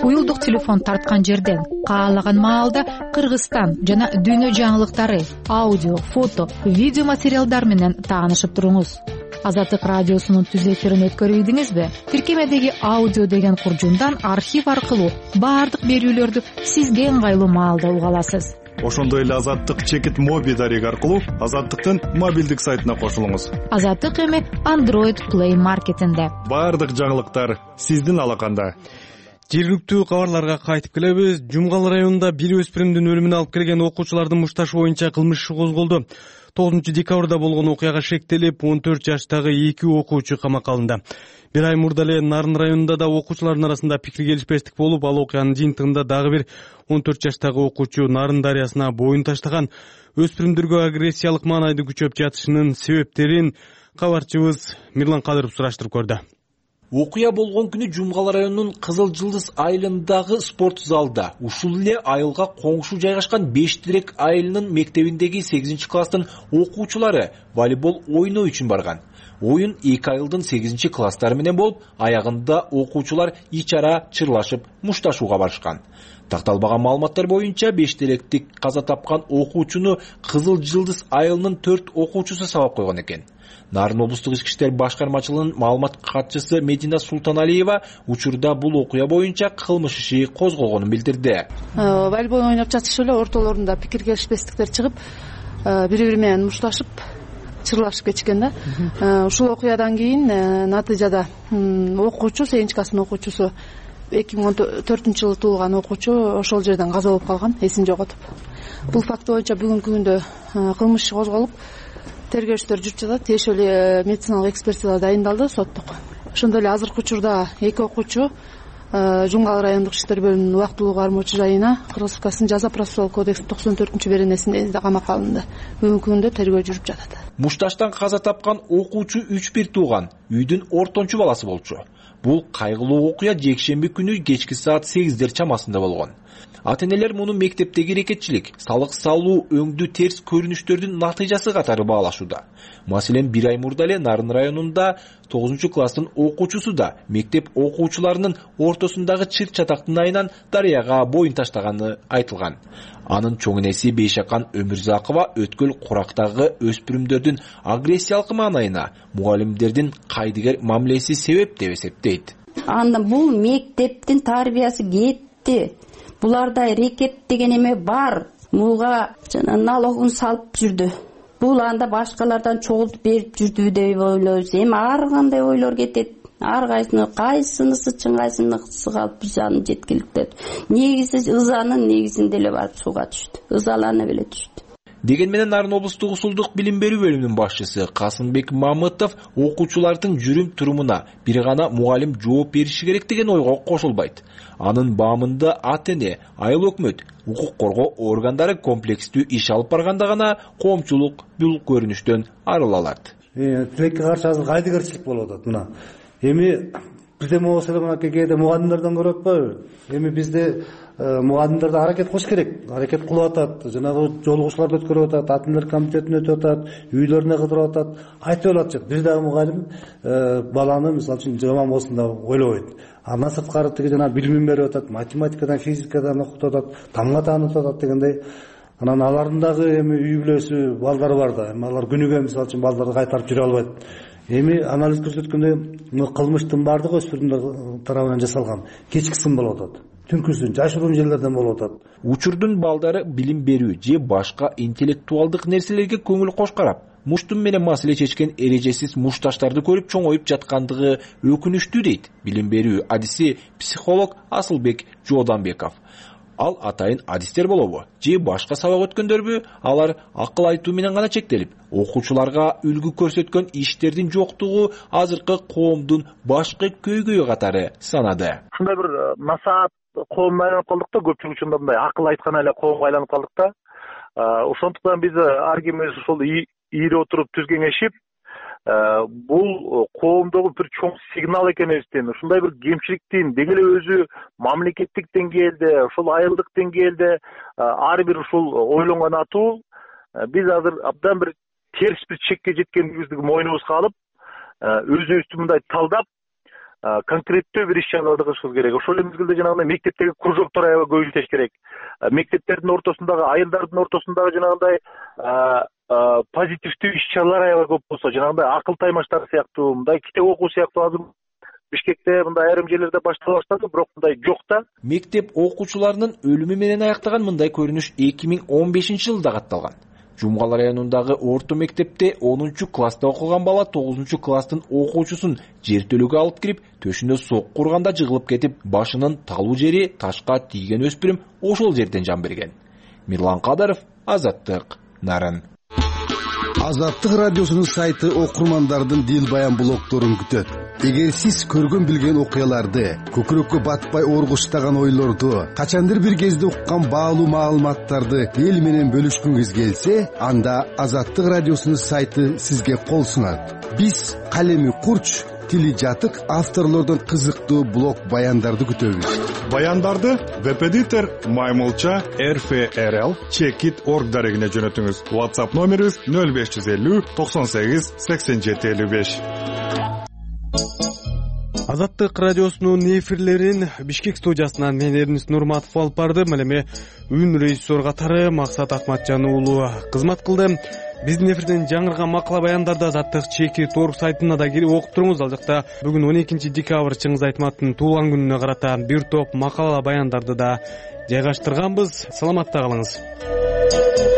Уюлдук телефон тарткан жерден каалаган маалда Кыргызстан жана дүйнө жаңылыктары, аудио, фото, видео материалдар менен таанышып туруңуз. Азаттык радиосунун түз эфирин өткөрүп ийдиңизби? Тиркемедеги аудио деген куржундан архив аркылуу баардык берүүлөрдү сизге ыңгайлуу маалда уга аласыз. Ошондой эле Азаттык чекит моби дареги аркылуу Азаттыктын мобилдик сайтына кошулуңуз. Азаттык эми Android Play Market'инде. Баардык жаңылыктар сиздин алаканда. Жергиликтүү кабарларга кайтып келебиз. Жумгал районунда бир өспүрүмдүн өлүмүнө алып келген окуучулардын мушташы боюнча кылмыш иши козголду. тогузунчу декабрда болгон окуяга шектелип, он төрт жаштагы эки окуучу камакка алынды. Бир ай мурда эле Нарын районунда да окуучулардын арасында пикир келишпестик болуп, ал окуянын жыйынтыгында дагы бир он төрт жаштагы окуучу Нарын дарыясына боюн таштаган. Өспүрүмдөргө агрессиялык маанайды күчөп жатышынын себептерин кабарчыбыз Мирлан Кадыров сураштырып көрдү. Окуя болгон күнү Жумгал районунун Кызыл Жылдыз айылындагы спорт залда ушул эле айылга коңшу жайгашкан Беш Тирек айылынын мектебиндеги сегизинчи класстын окуучулары волейбол ойноо үчүн барган. Оюн эки айылдын сегизинчи класстары менен болуп, аягында окуучулар ичара чырлашып мушташууга барышкан. Такталбаган маалыматтар боюнча Беш Теректик каза тапкан окуучуну Кызыл Жылдыз айылынын төрт окуучусу сабап койгон экен. Нарын облустук ички иштер башкармачылыгынын маалымат катчысы Медина Султаналиева учурда бул окуя боюнча кылмыш иши козголгонун билдирди. Волейбол ойноп жатышып эле ортолорунда пикир келишпестиктер чыгып, бири бири менен мушташып, чырлашып кетишкен да. Ушул окуядан кийин натыйжада окуучу, сегизинчи класстын окуучусу эки миң он төртүнчү жылы туулган окуучу ошол жерден каза болуп калган, эсин жоготуп. Бул факт боюнча бүгүнкү күндө кылмыш иши козголуп, тергөөчүлөр жүрүп жатат. Тиешелүү медициналык экспертиза дайындалды, соттук. Ошондой эле азыркы учурда эки окуучу Жумгал райондук иштер бөлүмүнүн убактылуу кармоочу жайына Кыргыз Республикасынын жаза процессуалдык кодексинин токсон төртүнчү беренесинде камакка алынды. Бүгүнкү күндө тергөө жүрүп жатат. Мушташтан каза тапкан окуучу үч бир тууган, үйдүн ортончу баласы болчу. Бул кайгылуу окуя жекшемби күнү кечки саат сегиздер чамасында болгон. Ата-энелер муну мектептеги эрекетчилик, салык салуу, өңдүү терс көрүнүштөрдүн натыйжасы катары баалашууда. Маселен, бир ай мурда эле Нарын районунда тогузунчу класстын окуучусу да мектеп окуучуларынын ортосундагы чыр чатактын айынан дарыяга боюн таштаганы айтылган. Анын чоң энеси Бейшакан Өмүрзакова өткөл курактагы өспүрүмдөрдүн агрессиялык маанайына мугалимдердин кайдыгер мамилеси себеп деп эсептейт. Анда бул мектептин тарбиясы кетти. Буларда рекет деген эме бар. Муга жана налогун салып жүрдү. Бул анда башкалардан чогултуп берип жүрдү деп ойлойбуз. Эми ар кандай ойлор кетет. Ар кайсыны кайсынысы чын, кайсынысы калп биз аны жеткиликтеп. Негизи ызанын негизинде эле барып сууга түштү. Ызаланып эле түштү. Деген менен Нарын облустук усулдук билим берүү бөлүмүнүн башчысы Касымбек Мамытов окуучулардын жүрүм турумуна бир гана мугалим жооп бериши керек деген ойго кошулбайт. Анын баамында ата-эне, айыл өкмөт, укук коргоо органдары комплекстүү иш алып барганда гана коомчулук бул көрүнүштөн арыла алат. Тилекке каршы азыр кайдыгерчилик болуп атат мына. Эми бирдеме болсо эле мына кээде мугалимдерден көрүп атпайбы? Эми бизде мугалимдерде аракет кылыш керек. Аракет кылып атат, жанагы жолугушууларды өткөрүп атат, ата-энелер комитетин өтүп атат, үйлөрүнө кыдырып атат. Айтып атат. Бир дагы мугалим баланы мисалы үчүн жаман болсун деп ойлобойт. Андан сырткары тиги жана билимин берип атат, математикадан, физикадан окутуп атат, тамга таанытып атат дегендей. Анан алардын дагы эми үй бүлөсү, балдары бар да. Эми алар күнүгө мисалы үчүн балдарды кайтарып жүрө албайт. Эми анализ көрсөткөндөй кылмыштын бардыгы өспүрүмдөр тарабынан жасалган. Кечкисин болуп атат. Түнкүсүн жашыруун жерлерден болуп атат. Учурдун балдары билим берүү же башка интеллектуалдык нерселерге көңүл кош карап, муштум менен маселе чечкен эрежесиз мушташтарды көрүп чоңоюп жаткандыгы өкүнүчтүү дейт билим берүү адиси психолог Асылбек Жооданбеков. Ал атайын адистер болобу же башка сабак өткөндөрбү, алар акыл айтуу менен гана чектелип, окуучуларга үлгү көрсөткөн иштердин жоктугу азыркы коомдун башкы көйгөйү катары санады. Ушундай бир насаат коомго айланып калдык да, көпчүлүк учурда мындай акыл айткан эле коомго айланып калдык да. Ошондуктан биз ар кимибиз ошол ийире отуруп түз кеңешип, бул коомдогу бир чоң сигнал экенибиздин, ушундай бир кемчиликтин деги эле өзү мамлекеттик деңгээлде, ошол айылдык деңгээлде ар бир ушул ойлонгон атуу биз азыр абдан бир терс бир чекке жеткендигибизди мойнубузга алып, өзүбүздү мындай талдап, конкреттүү бир иш-чараларды кылышыбыз керек. Ошол эле мезгилде жанагындай мектептеги кружоктор аябай көбөйтүш керек. Мектептердин ортосундагы, айылдардын ортосундагы жанагындай позитивдүү иш-чаралар аябай көп болсо, жанагындай акыл таймаштар сыяктуу, мындай китеп окуу сыяктуу азыр Бишкекте мындай айрым жерлерде баштала баштады, бирок мындай жок да. Мектеп окуучуларынын өлүмү менен аяктаган мындай көрүнүш эки миң он бешинчи жылда катталган. Жумгал районундагы орто мектепте онунчу класста окуган бала тогузунчу класстын окуучусун жертөлөгө алып кирип, төшүнө сокку урганда жыгылып кетип, башынын талуу жери ташка тийген өспүрүм ошол жерден жан берген. Мирлан Кадаров, Азаттык, Нарын. Азаттык радиосунун сайты окурмандардын дил баян блогторун күтөт. Эгер сиз көргөн билген окуяларды, көкүрөккө батпай оргуштаган ойлорду, качандыр бир кезде уккан баалуу маалыматтарды эл менен бөлүшкүңүз келсе, анда Азаттык радиосунун сайты сизге кол сунат. Биз калеми курч, тили жатык авторлордон кызыктуу блог баяндарды күтөбүз. Баяндарды веб-эдитор Маймулча эр эф эр эл чекит точка орг дарегине жөнөтүңүз. WhatsApp номерибиз нөл беш жүз элүү токсон сегиз сексен жети элүү беш. Азаттык радиосунун эфирлерин Бишкек студиясынан мен Эрнис Нурматов алып бардым. Эми үн режиссер катары Максат Акматжан уулу кызмат кылды. Биздин эфирден жаңырган макала баяндарды Азаттык чекит точка орг сайтына да кирип окуп туруңуз. Ал жакта бүгүн он экинчи декабрь Чыңгыз Айтматтын туулган күнүнө карата бир топ макала баяндарды да жайгаштырганбыз. Саламатта калыңыз.